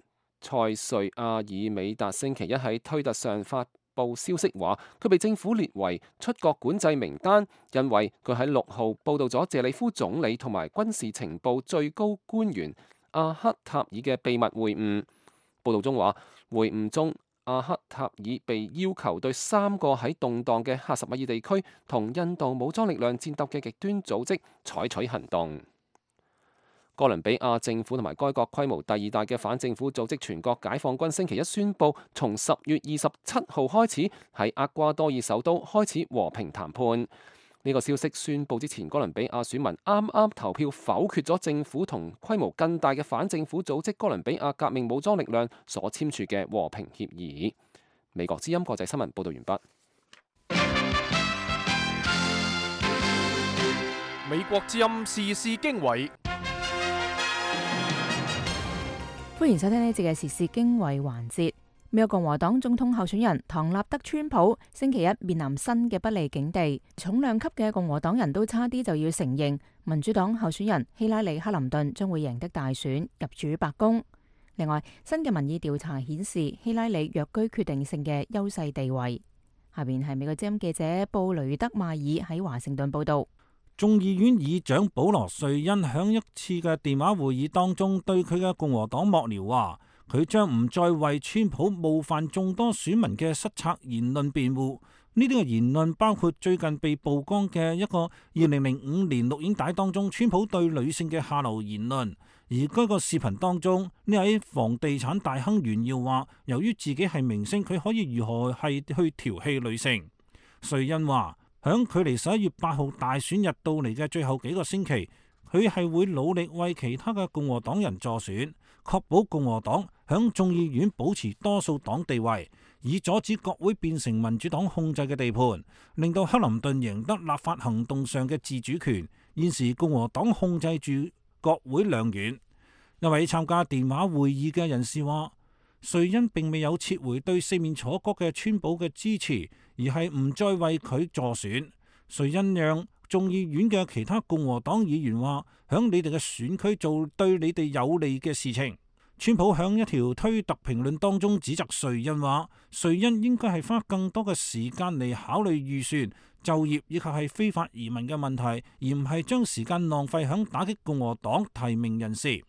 塞瑞亞爾美達星期一喺推特上發報消息話，佢被政府列為出國管制名單，因為佢喺六號報導咗謝里夫總理同埋軍事情報最高官員阿克塔爾嘅秘密會晤。報導中話，會晤中阿克塔爾被要求對三個喺動盪嘅喀什米爾地區同印度武裝力量戰鬥嘅極端組織採取行動。哥倫比亞政府同埋該國規模第二大嘅反政府組織全國解放軍星期一宣布，從十月二十七號開始喺厄瓜多爾首都開始和平談判。呢、這個消息宣布之前，哥倫比亞選民啱啱投票否決咗政府同規模更大嘅反政府組織哥倫比亞革命武裝力量所簽署嘅和平協議。美國之音國際新聞報道完畢。美國之音時事經緯。歡迎收聽呢節嘅時事經緯環節。美國共和黨總統候選人唐納德川普星期一面臨新嘅不利境地，重量級嘅共和黨人都差啲就要承認民主黨候選人希拉里克林頓將會贏得大選，入主白宮。另外，新嘅民意調查顯示希拉里躍居決定性嘅優勢地位。下邊係美國之音記者布雷德邁爾喺華盛頓報道。眾議院議長保羅瑞恩響一次嘅電話會議當中，對佢嘅共和黨幕僚話，佢將唔再為川普冒犯眾多選民嘅失策言論辯護。呢啲嘅言論包括最近被曝光嘅一個二零零五年錄影帶當中，川普對女性嘅下流言論。而該個視頻當中，呢位房地產大亨炫耀話，由於自己係明星，佢可以如何係去調戲女性。瑞恩話，響距離十一月八號大選日到嚟嘅最後幾個星期，佢係會努力為其他嘅共和黨人助選，確保共和黨響眾議院保持多數黨地位，以阻止國會變成民主黨控制嘅地盤，令到克林頓贏得立法行動上嘅自主權。現時共和黨控制住國會兩院。一位參加電話會議嘅人士話，瑞恩並未有撤回對四面楚歌嘅川普嘅支持，而係唔再為佢助選。瑞恩讓眾議院嘅其他共和黨議員話，響你哋嘅選區做對你哋有利嘅事情。川普響一條推特評論當中指責瑞恩話，瑞恩應該係花更多嘅時間嚟考慮預算、就業以及係非法移民嘅問題，而唔係將時間浪費響打擊共和黨提名人士。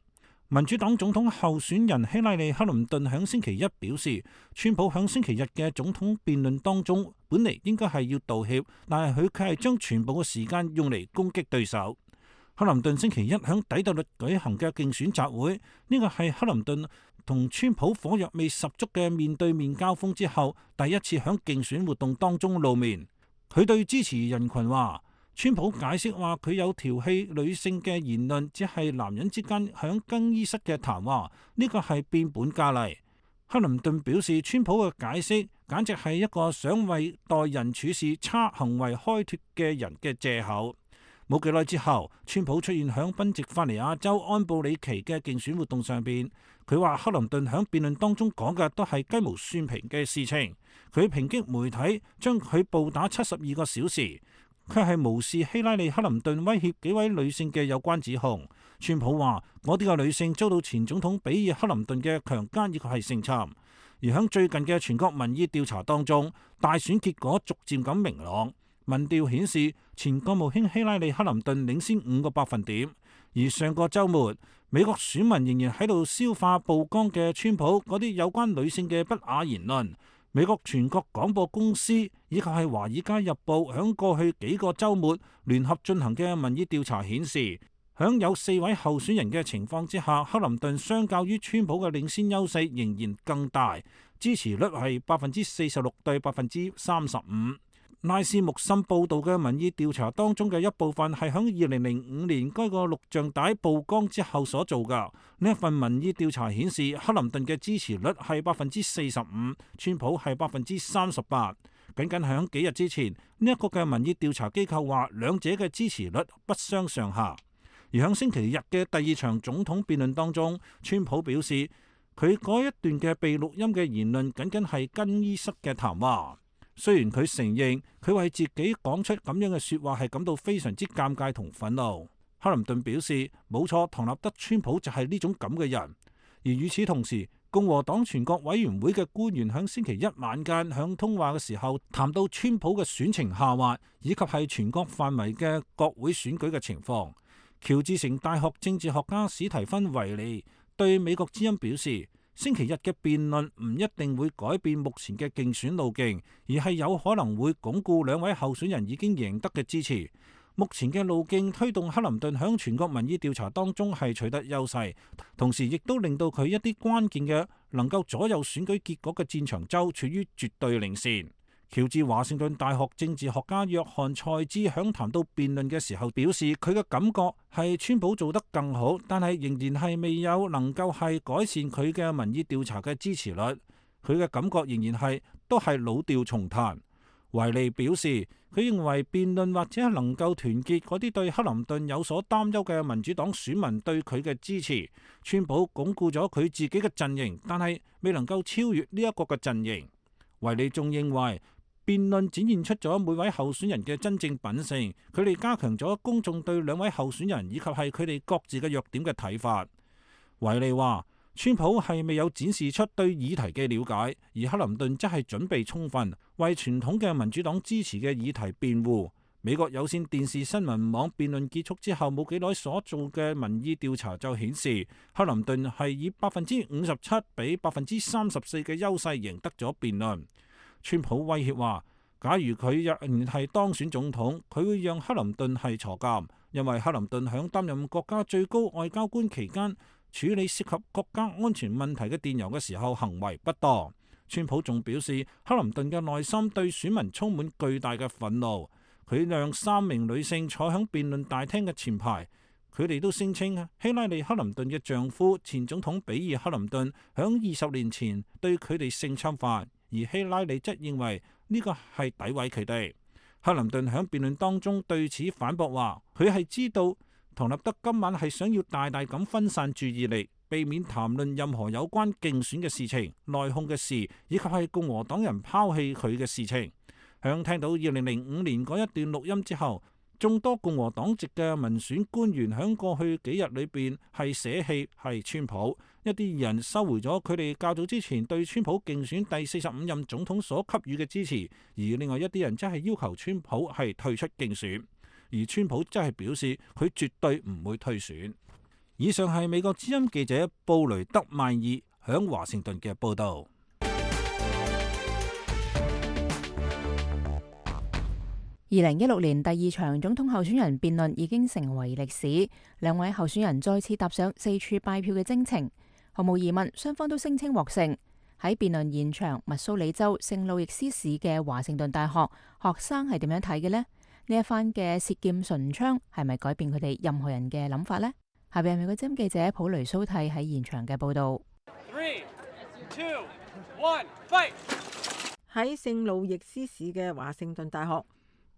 民主黨總統候選人希拉里克林頓響星期一表示，川普響星期日嘅總統辯論當中，本嚟應該係要道歉，但係佢卻係將全部嘅時間用嚟攻擊對手。克林頓星期一響底特律舉行嘅競選集會，呢個係克林頓同川普火藥味十足嘅面對面交鋒之後，第一次響競選活動當中露面。佢對支持人群話，川普解釋話佢有調戲女性嘅言論，只係男人之間響更衣室嘅談話，呢個係變本加厲。克林頓表示，川普嘅解釋簡直係一個想為待人處事差行為開脫嘅人嘅藉口。冇幾耐之後，川普出現響賓夕法尼亞州安布里奇嘅競選活動上邊，佢話克林頓響辯論當中講嘅都係雞毛蒜皮嘅事情，佢抨擊媒體將佢暴打七十二個小時，卻係無視希拉里克林頓威脅幾位女性嘅有關指控。川普話，我哋嘅女性遭到前總統比爾克林頓嘅強姦以及係性侵。而響最近嘅全國民意調查當中，大選結果逐漸咁明朗。民調顯示前國務卿希拉里克林頓領先五個百分點。而上個週末，美國選民仍然喺度消化曝光嘅川普嗰啲有關女性嘅不雅言論。美國全國廣播公司以及係華爾街日報響過去幾個週末聯合進行嘅民意調查顯示，響有四位候選人嘅情況之下，克林頓相較於川普嘅領先優勢仍然更大，支持率係百分之四十六對百分之三十五。拉斯穆森報道嘅民意調查當中嘅一部分係響二零零五年該個錄像帶曝光之後所做㗎。呢一份民意調查顯示，克林頓嘅支持率係百分之四十五，川普係百分之三十八。僅僅響幾日之前，呢一個嘅民意調查機構話兩者嘅支持率不相上下。而響星期日嘅第二場總統辯論當中，川普表示佢嗰一段嘅被錄音嘅言論僅僅係更衣室嘅談話。雖然佢承認佢為自己講出咁樣嘅說話係感到非常之尷尬同憤怒，克林頓表示冇錯，唐納德川普就係呢種咁嘅人。而與此同時，共和黨全國委員會嘅官員喺星期一晚間響通話嘅時候，談到川普嘅選情下滑，以及係全國範圍嘅國會選舉嘅情況。喬治城大學政治學家史提芬維利對美國之音表示，星期日嘅辯論唔一定會改變目前嘅競選路徑，而係有可能會鞏固兩位候選人已經贏得嘅支持。目前嘅路徑推動克林頓響全國民意調查當中係取得優勢，同時亦都令到佢一啲關鍵嘅能夠左右選舉結果嘅戰場州處於絕對領先。喬治華盛頓大學政治學家約翰賽茲響談到辯論嘅時候表示，佢嘅感覺係川普做得更好，但係仍然係未有能夠係改善佢嘅民意調查嘅支持率。佢嘅感覺仍然係都係老調重彈。維利表示，佢認為辯論或者能夠團結嗰啲對克林頓有所擔憂嘅民主黨選民對佢嘅支持。川普鞏固咗佢自己嘅陣營，但係未能夠超越呢一個嘅陣營。維利仲認為，辯論展現出咗每位候選人嘅真正品性，佢哋加強咗公眾對兩位候選人以及係佢哋各自嘅弱點嘅睇法。維利話，川普係未有展示出對議題嘅了解，而克林頓則係準備充分，為傳統嘅民主黨支持嘅議題辯護。美國有線電視新聞網辯論結束之後冇幾耐所做嘅民意調查就顯示，克林頓係以百分之五十七比百分之三十四嘅優勢贏得咗辯論。川普威脅話，假如佢若然係當選總統，佢會讓克林頓係坐監，因為克林頓響擔任國家最高外交官期間，處理涉及國家安全問題嘅電郵嘅時候行為不當。川普仲表示，克林頓嘅內心對選民充滿巨大嘅憤怒。佢讓三名女性坐響辯論大廳嘅前排，佢哋都聲稱希拉里克林頓嘅丈夫前總統比爾克林頓響二十年前對佢哋性侵犯，而希拉里則認為呢個係詆毀佢哋。克林頓響辯論當中對此反駁話，佢係知道唐納德今晚係想要大大咁分散注意力，避免談論任何有關競選嘅事情、內訌嘅事，以及係共和黨人拋棄佢嘅事情。響聽到二零零五年嗰一段錄音之後，眾多共和黨籍嘅民選官員響過去幾日裏邊係捨棄係川普，一啲人收回咗佢哋較早之前對川普競選第四十五任總統所給予嘅支持，而另外一啲人則係要求川普係退出競選，而川普則係表示佢絕對唔會退選。以上係美國之音記者布雷德曼爾響華盛頓嘅報道。二零一六年第二場總統候選人辯論已經成為歷史，兩位候選人再次踏上四處拜票嘅征程。毫無疑問，雙方都聲稱獲勝。喺辯論現場，密蘇里州聖路易斯市嘅華盛頓大學學生係點樣睇嘅呢？呢一番嘅舌劍唇槍係咪改變佢哋任何人嘅諗法呢？下邊係美國之音記者普雷蘇蒂喺現場嘅報道。Three, two, one, fight！ 喺聖路易斯市嘅華盛頓大學，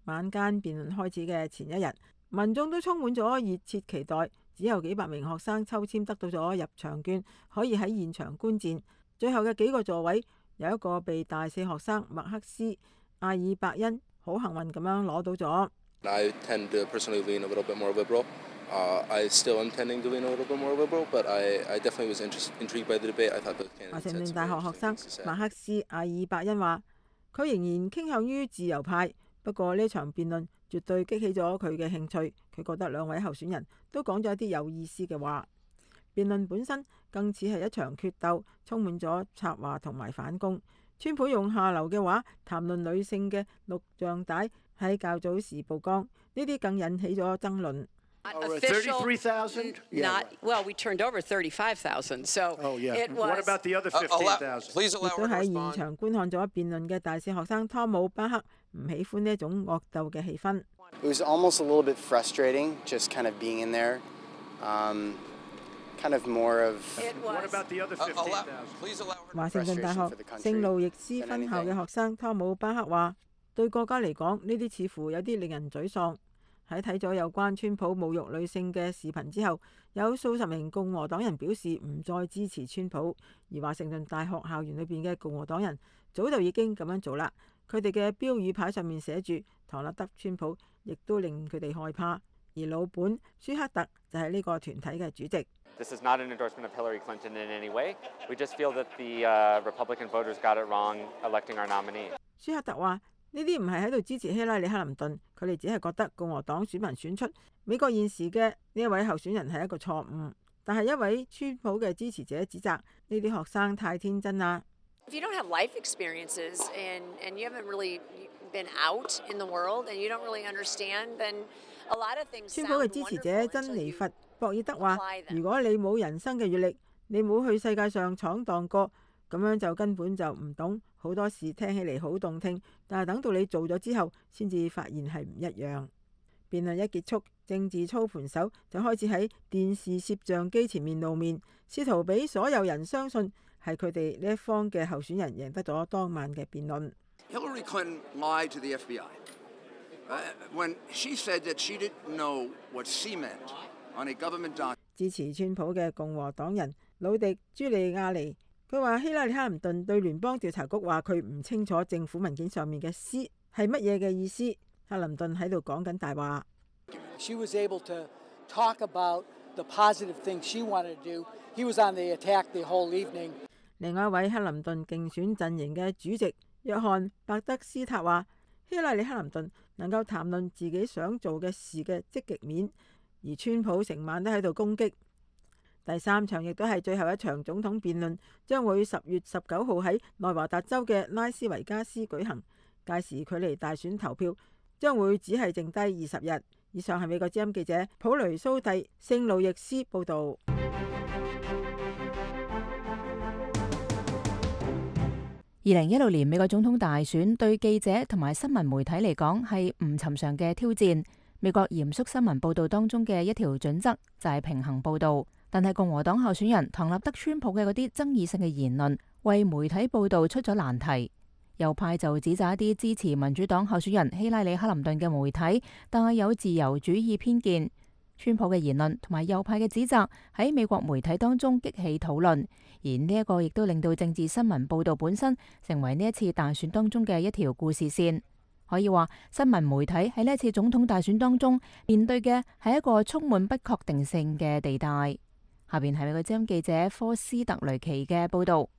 晚間辯論開始嘅前一日，民眾都充滿咗熱切期待。只有幾百名學生抽籤得到咗入場券，可以喺現場觀戰。最後嘅幾個座位，有一個被大四學生麥克斯·阿爾伯恩好幸運咁樣攞到咗。I tend to personally lean a little bit more liberal. Uh, I still am tending to lean a little bit more liberal, but I, I definitely was interest, intrigued by the debate. I thought both candidates had some very interesting things to say. 華盛頓大學學生麥克斯·阿爾伯恩話：佢仍然傾向於自由派。不過呢場辯論絕對激起咗佢嘅興趣，佢覺得兩位候選人都講咗一啲有意思嘅話。辯論本身更似係一場決鬥，充滿咗插話同埋反攻。川普用下流嘅話談論女性嘅錄像帶喺較早時曝光，呢啲更引起咗爭論。thirty-three thousand? Not well. We turned over thirty-five thousand. So oh, yeah. it was. What about the other fifteen thousand? Please allow her to respond. 亦都喺現場觀看咗辯論嘅大四學生湯姆巴克唔喜歡呢一種惡鬥嘅氣氛。It was almost a little bit frustrating, just kind of being in there. Um, kind of more of. What about the other fifteen thousand? Please allow her. 華盛頓大學聖路易斯分校嘅學生湯姆巴克話：對國家嚟講，呢啲似乎有啲令人沮喪。喺睇咗有關川普侮辱女性嘅視頻之後，有數十名共和黨人表示唔再支持川普，而華盛頓大學校園裏邊嘅共和黨人早就已經咁樣做啦。佢哋嘅標語牌上面寫住唐納德川普，亦都令佢哋害怕。而老本舒克特就係呢個團體嘅主席。This is not an endorsement of Hillary Clinton in any way. We just feel that the uh, Republican voters got it wrong electing our nominee. 舒克特話：呢啲唔係喺度支持希拉里克林頓，佢哋只係覺得共和黨選民選出美國現時嘅呢一位候選人係一個錯誤。但係一位川普嘅支持者指責呢啲學生太天真啦。If you don't have life experiences and and you haven't really been out in the world and you don't really understand, then a lot of things. 川普嘅支持者珍妮佛博爾德話：如果你冇人生嘅閲歷，你冇去世界上闖蕩過，咁樣就根本就唔懂好多事，聽起嚟好動聽，但係等到你做咗之後，先至發現係唔一樣。辯論一結束，政治操盤手就開始喺電視攝像機前面露面，試圖俾所有人相信係佢哋呢一方嘅候選人贏得咗當晚嘅辯論。Hillary Clinton lied to the F B I uh, when she said that she didn't know what C meant on a government document. 支持川普嘅共和黨人魯迪朱利亞尼，佢話希拉里克林頓對聯邦調查局話佢唔清楚政府文件上面嘅 C 係乜嘢嘅意思。克林頓喺度講緊大話。She was able to talk about the positive things she wanted to do. He was on the attack the whole evening. 另外一位克林頓競選陣營嘅主席約翰伯德斯塔話：希拉里克林頓能夠談論自己想做嘅事嘅積極面，而川普成晚都喺度攻擊。第三場亦都係最後一場總統辯論，將會十月十九號喺內華達州嘅拉斯維加斯舉行。屆時距離大選投票將會只係剩低二十日。以上係美國之音記者普雷蘇蒂聖路易斯報導。二零一六年美國總統大選對記者同埋新聞媒體嚟講係唔尋常嘅挑戰。美國嚴肅新聞報導當中嘅一條準則就係平衡報導，但係共和黨候選人唐納德川普嘅嗰啲爭議性嘅言論，為媒體報導出咗難題。右派就指責一啲支持民主黨候選人希拉里克林頓嘅媒體帶有自由主義偏見。川普嘅言論同埋右派嘅指責喺美國媒體當中激起討論，而呢一個亦都令到政治新聞報導本身成為呢一次大選當中嘅一條故事線。可以話，新聞媒體喺呢一次總統大選當中面對嘅係一個充滿不確定性嘅地帶。下邊係美國之音記者科斯特雷奇嘅報導。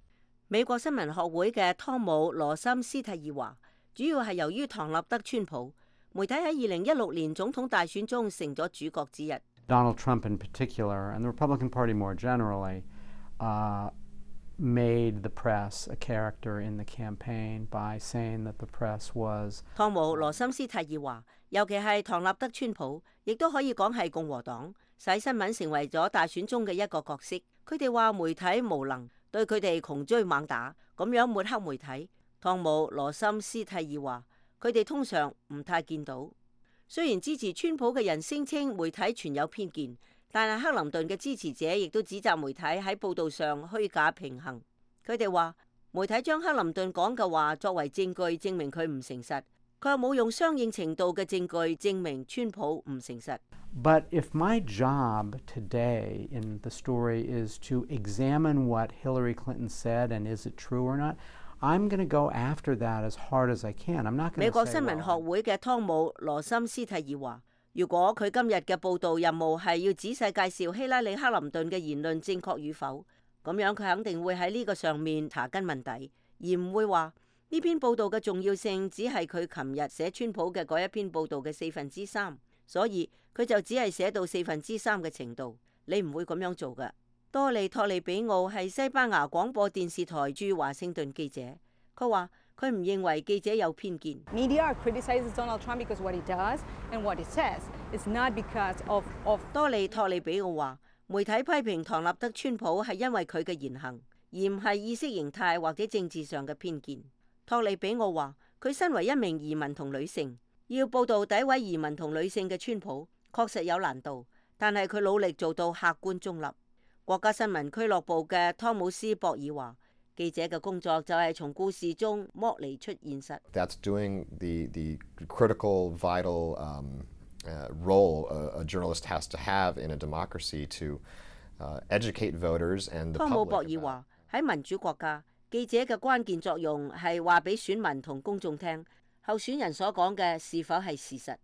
美國新聞學會嘅湯姆羅森斯蒂爾話，主要係由於唐納德川普，媒體喺二零一六年總統大選中成咗主角之一。Donald Trump in particular, and the Republican Party more generally, uh, made the press a character in the campaign by saying that the press was. 湯姆羅森斯蒂爾話，尤其係唐納德川普，亦都可以講係共和黨，使新聞成為咗大選中嘅一個角色。佢哋話媒體無能。對佢哋窮追猛打，咁樣抹黑媒體。湯姆羅森斯蒂爾話：佢哋通常唔太見到。雖然支持川普嘅人聲稱媒體存有偏見，但係克林頓嘅支持者亦都指責媒體喺報導上虛假平衡。佢哋話媒體將克林頓講嘅話作為證據，證明佢唔誠實。佢又冇用相應程度嘅證據證明川普唔誠實。But if my job today in the story is to examine what Hillary Clinton said and is it true or not, I'm going to go after that as hard as I can. I'm not going to say. 美國新聞學會嘅湯姆羅森斯蒂爾話：如果佢今日嘅報導任務係要仔細介紹希拉里克林頓嘅言論正確與否，咁樣佢肯定會喺呢個上面查根問底，而唔會話呢篇報導嘅重要性只係佢琴日寫川普嘅嗰一篇報導嘅四分之三。所以佢就只係寫到四分之三嘅程度，你唔會咁樣做㗎。多利托利比奧係西班牙廣播電視台駐華盛頓記者，佢話佢唔認為記者有偏見。Media criticizes Donald Trump because what he does and what he says is not because of of。多利托利比奧話，媒體批評唐納德川普係因為佢嘅言行，而唔係意識形態或者政治上嘅偏見。托利比奧話，佢身為一名移民同女性，要報導詆毀移民同女性嘅川普確實有難度，但係佢努力做到客觀中立。國家新聞俱樂部嘅湯姆斯博爾話：記者嘅工作就係從故事中剝離出現實。That's doing the the critical, vital um, uh, role a, a journalist has to have in a democracy to uh, educate voters and the public. 湯姆博爾話：喺民主國家，記者嘅關鍵作用係話俾選民同公眾聽，候選人所講嘅是否係事實。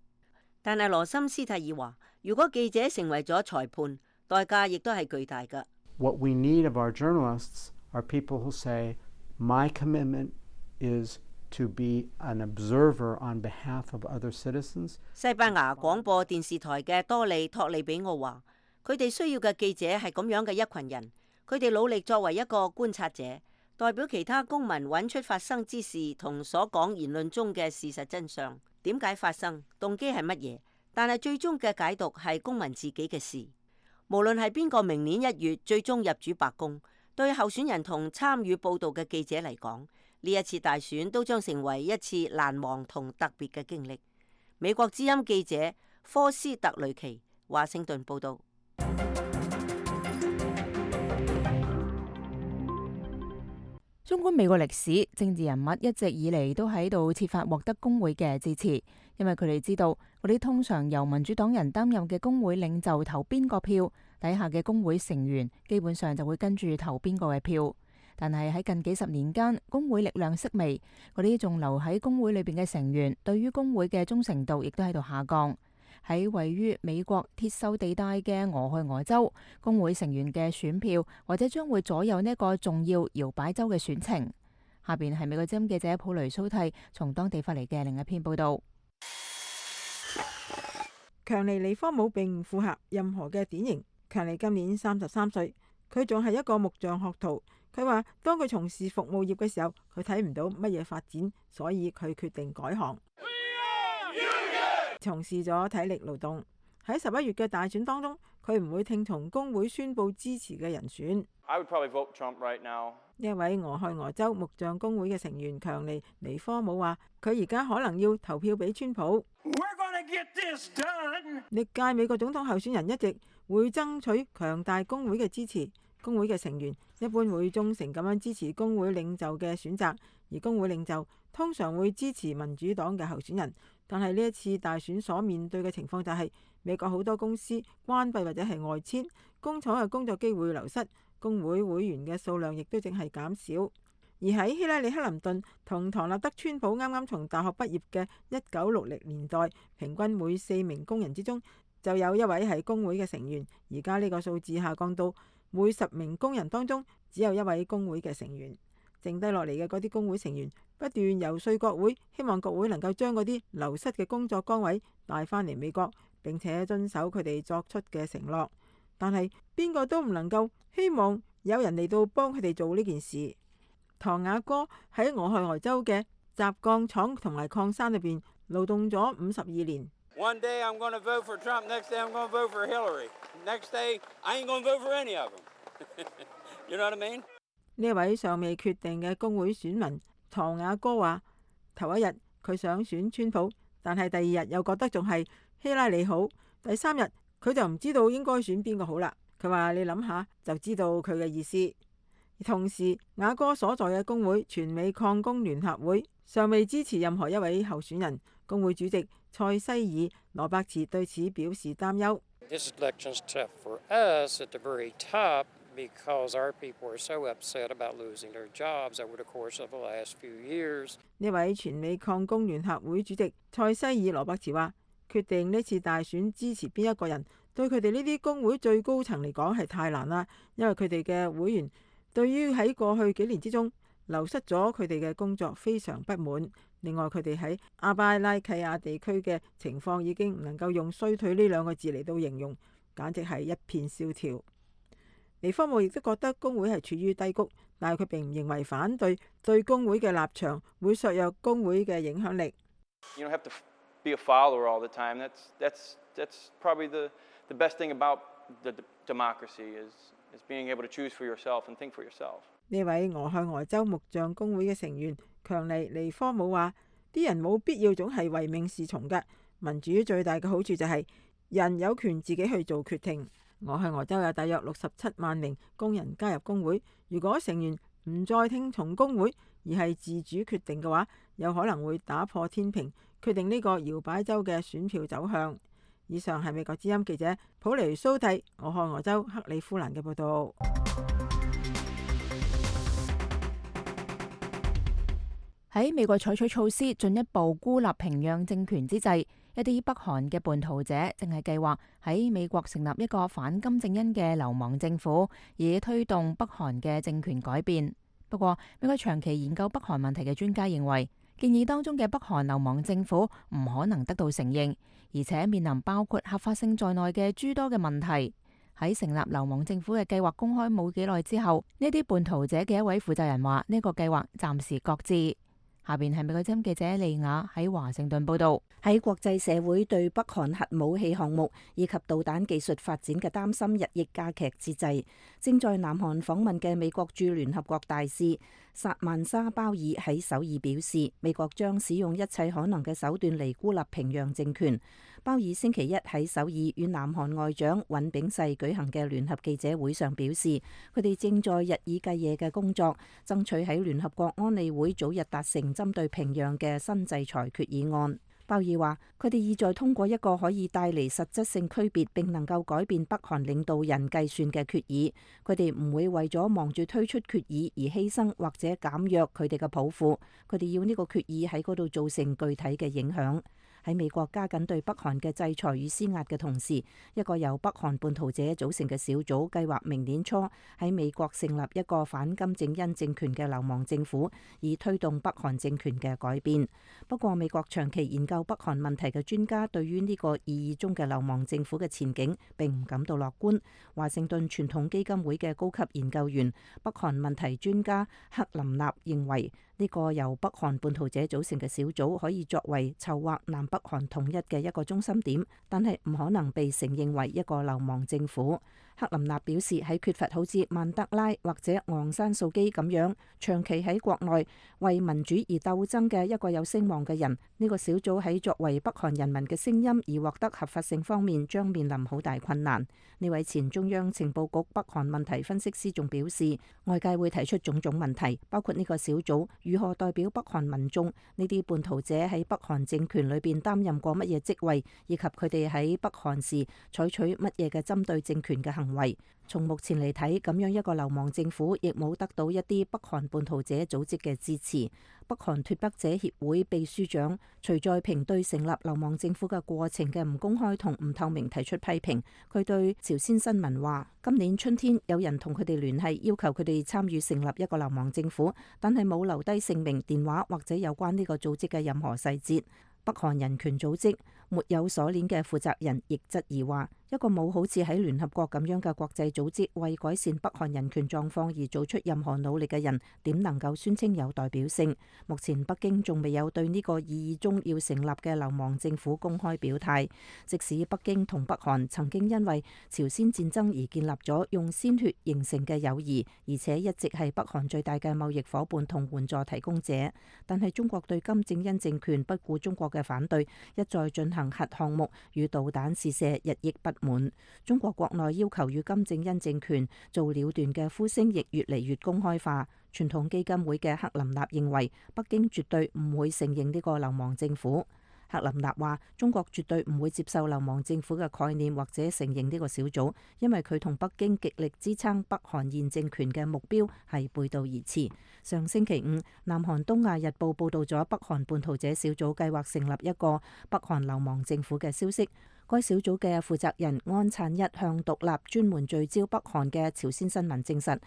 但係羅森斯蒂爾話，如果記者成為咗裁判，代價亦都係巨大㗎。What we need of our journalists are people who say, my commitment is to be an observer on behalf of other citizens. 西班牙廣播電視台嘅多利托利比奧話，佢哋需要嘅記者係咁樣嘅一群人，佢哋努力作為一個觀察者，代表其他公民揾出發生之事同所講言論中嘅事實真相，點解發生，動機係乜嘢，但係最終嘅解讀係公民自己嘅事。無論係邊個明年一月最終入主白宮，對候選人同參與報導嘅記者嚟講，呢一次大選都將成為一次難忘同特別嘅經歷。美國之音記者科斯特雷奇，華盛頓報導。縱觀美國歷史，政治人物一直以嚟都喺度設法獲得工會嘅支持，因為佢哋知道嗰啲通常由民主黨人擔任嘅工會領袖投邊個票，底下嘅工會成員基本上就會跟住投邊個嘅票。但係喺近幾十年間，工會力量式微，嗰啲仲留喺工會裏邊嘅成員對於工會嘅忠誠度亦都喺度下降。喺位於美國鐵鏽地帶嘅俄亥俄州，工會成員嘅選票或者將會左右呢個重要搖擺州嘅選情。下邊係美國之音記者普雷蘇蒂從當地發嚟嘅另一篇報道。強尼利科姆並唔符合任何嘅典型。強尼今年三十三歲，佢仲係一個木匠學徒。佢話當佢從事服務業嘅時候，佢睇唔到乜嘢發展，所以佢決定改行，從事咗體力勞動。喺十一月嘅大選當中，佢唔會聽從工會宣佈支持嘅人選。I would probably vote Trump right now. 呢一位俄亥俄州木匠工會嘅成員強尼尼科姆話：佢而家可能要投票俾川普。We're gonna get this done. 歷屆美國總統候選人一直會爭取強大工會嘅支持。工會嘅成員一般會忠誠咁樣支持工會領袖嘅選擇，而工會領袖通常會支持民主黨嘅候選人。但係呢一次大選所面對嘅情況就係美國好多公司關閉或者係外遷，工廠嘅工作機會流失，工會會員嘅數量亦都正係減少。而喺希拉里克林頓同唐納德川普啱啱從大學畢業嘅一九六零年代，平均每四名工人之中就有一位係工會嘅成員。而家呢個數字下降到每十名工人當中只有一位工會嘅成員，剩低落嚟嘅嗰啲工會成員不斷遊說國會，希望國會能夠將嗰啲流失嘅工作崗位帶返嚟美國，並且遵守佢哋作出嘅承諾。但係邊個都唔能夠希望有人嚟到幫佢哋做呢件事。唐雅哥喺俄亥俄州嘅軋鋼廠同埋礦山裏邊勞動咗五十二年。One day I'm going to vote for Trump, next day I'm going to vote for Hillary, next day I ain't going to vote for any of them. You know what I mean? 呢位尚未決定嘅工會選民唐雅哥話：頭一日佢想選川普，但係第二日又覺得仲係希拉里好，第三日佢就唔知道應該選邊個好啦。佢話：你諗下就知道佢嘅意思。同時，雅哥所在嘅工會全美礦工聯合會尚未支持任何一位候選人。工會主席塞西爾羅伯茨對此表示擔憂。This election's tough for us at the very top because our people are so upset about losing their jobs over the course of the last few years. 呢位全美礦工聯合會主席塞西爾羅伯茨話：決定呢次大選支持邊一個人，對佢哋呢啲工會最高層嚟講係太難啦，因為佢哋嘅會員對於喺過去幾年之中流失咗佢哋嘅工作非常不滿。另外，佢哋喺阿巴拉契亞地區嘅情況已經唔能夠用衰退呢兩個字嚟到形容，簡直係一片蕭條。尼科姆亦都覺得工會係處於低谷，但係佢並唔認為反對對工會嘅立場會削弱工會嘅影響力。You don't have to be a follower all the time. That's that's that's probably the the best thing about the democracy is is being able to choose for yourself and think for yourself. 呢位俄亥俄州木匠工會嘅成員強尼尼科姆話：啲人冇必要總係唯命是從嘅，民主最大嘅好處就係人有權自己去做決定。俄亥俄州有大約六十七萬名工人加入工會，如果成員唔再聽從工會而係自主決定嘅話，有可能會打破天平，決定呢個搖擺州嘅選票走向。以上係美國之音記者普尼蘇蒂俄亥俄州克里夫蘭嘅報道。喺美國採取措施進一步孤立平壤政權之際，一啲北韓嘅叛徒者正係計劃喺美國成立一個反金正恩嘅流亡政府，以推動北韓嘅政權改變。不過，美國長期研究北韓問題嘅專家認為，建議當中嘅北韓流亡政府唔可能得到承認，而且面臨包括合法性在內嘅諸多嘅問題。喺成立流亡政府嘅計劃公開冇幾耐之後，呢啲叛徒者嘅一位負責人話：呢個計劃暫時擱置。下邊係美國之音記者利亞喺華盛頓報道。喺國際社會對北韓核武器項目以及導彈技術發展嘅擔心日益加劇之際，正在南韓訪問嘅美國駐聯合國大使薩曼莎鮑爾喺首爾表示，美國將使用一切可能嘅手段嚟孤立平壤政權。鮑爾星期一喺首爾與南韓外長尹炳世舉行嘅聯合記者會上表示，佢哋正在日以繼夜嘅工作，爭取喺聯合國安理會早日達成針對平壤嘅新制裁決議案。鮑爾話：佢哋意在通過一個可以帶嚟實質性區別並能夠改變北韓領導人計算嘅決議。佢哋唔會為咗忙住推出決議而犧牲或者減弱佢哋嘅抱負。佢哋要呢個決議喺嗰度造成具體嘅影響。喺美國加緊對北韓嘅制裁與施壓嘅同時，一個由北韓叛徒者組成嘅小組計劃明年初喺美國成立一個反金正恩政權嘅流亡政府，以推動北韓政權嘅改變。不過，美國長期研究北韓問題嘅專家對於呢個意義中嘅流亡政府嘅前景並唔感到樂觀。華盛頓傳統基金會嘅高級研究員、北韓問題專家克林納認為，呢個由北韓叛徒者組成嘅小組可以作為籌劃南北韓統一嘅一個中心點，但係唔可能被承認為一個流亡政府。克林納表示，喺缺乏好似曼德拉或者昂山素基咁樣長期喺國內為民主而鬥爭嘅一個有聲望嘅人，呢個小組喺作為北韓人民嘅聲音而獲得合法性方面將面臨好大困難。呢位前中央情報局北韓問題分析師仲表示，外界會提出種種問題，包括呢個小組如何代表北韓民眾，呢啲叛徒者喺北韓政權裏邊擔任過乜嘢職位，以及佢哋喺北韓時採取乜嘢嘅針對政權嘅行為。從目前嚟睇，咁樣一個流亡政府亦冇得到一啲北韓叛徒者組織嘅支持。北韓脫北者協會秘書長徐在平對成立流亡政府嘅過程嘅唔公開同唔透明提出批評。佢對朝鮮新聞話：今年春天有人同佢哋聯繫，要求佢哋參與成立一個流亡政府，但係冇留低姓名、電話或者有關呢個組織嘅任何細節。北韓人權組織沒有鎖鏈嘅負責人亦質疑話，一個冇好似喺聯合國咁樣嘅國際組織為改善北韓人權狀況而做出任何努力嘅人，點能夠宣稱有代表性？目前北京仲未有對呢個意義中要成立嘅流亡政府公開表態。即使北京同北韓曾經因為朝鮮戰爭而建立咗用鮮血形成嘅友誼，而且一直係北韓最大嘅貿易夥伴同援助提供者，但係中國對金正恩政權不顧中國嘅反對，一再進行核項目與導彈試射，日益不滿。中國國內要求與金正恩政權做了斷嘅呼聲亦越嚟越公開化。傳統基金會嘅克林納認為，北京絕對唔會承認呢個流亡政府。克林納話：中國絕對唔會接受流亡政府嘅概念或者承認呢個小組，因為佢同北京極力支撐北韓現政權嘅目標係背道而馳。上星期五，南韓東亞日報報導咗北韓叛徒者小組計劃成立一個北韓流亡政府嘅消息。該小組嘅負責人安燦一向獨立專門聚焦北韓嘅朝鮮新聞證實，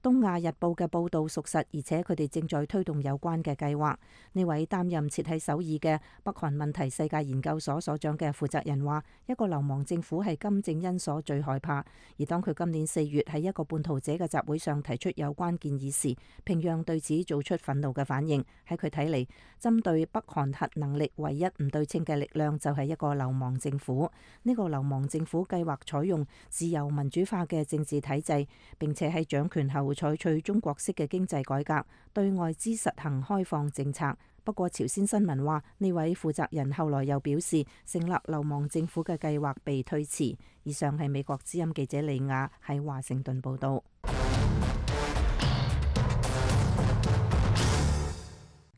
東亞日報嘅報導屬實，而且佢哋正在推動有關嘅計劃。呢位擔任設喺首爾嘅北韓問題世界研究所所長嘅負責人話：一個流亡政府係金正恩所最害怕。而當佢今年四月喺一個叛徒者嘅集會上提出有關建議時，平壤對此做出憤怒嘅反應。喺佢睇嚟，針對北韓核能力唯一唔對稱嘅力量就係一個流亡政府。呢個流亡政府計劃採用自由民主化嘅政治體制，並且喺掌權後採取中國式嘅經濟改革，對外資實行開放政策。不過朝鮮新聞話，呢位負責人後來又表示，成立流亡政府嘅計劃被推遲。以上係美國之音記者李亞喺華盛頓報道。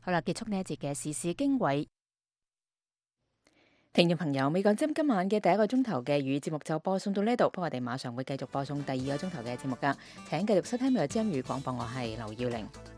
好啦，結束呢一節嘅時事經緯。聽眾朋友，美國之音今晚嘅第一個鐘頭嘅粵語節目就播送到呢度，不過我哋馬上會繼續播送第二個鐘頭嘅節目噶，請繼續收聽美國之音粵語廣播，我係劉耀玲。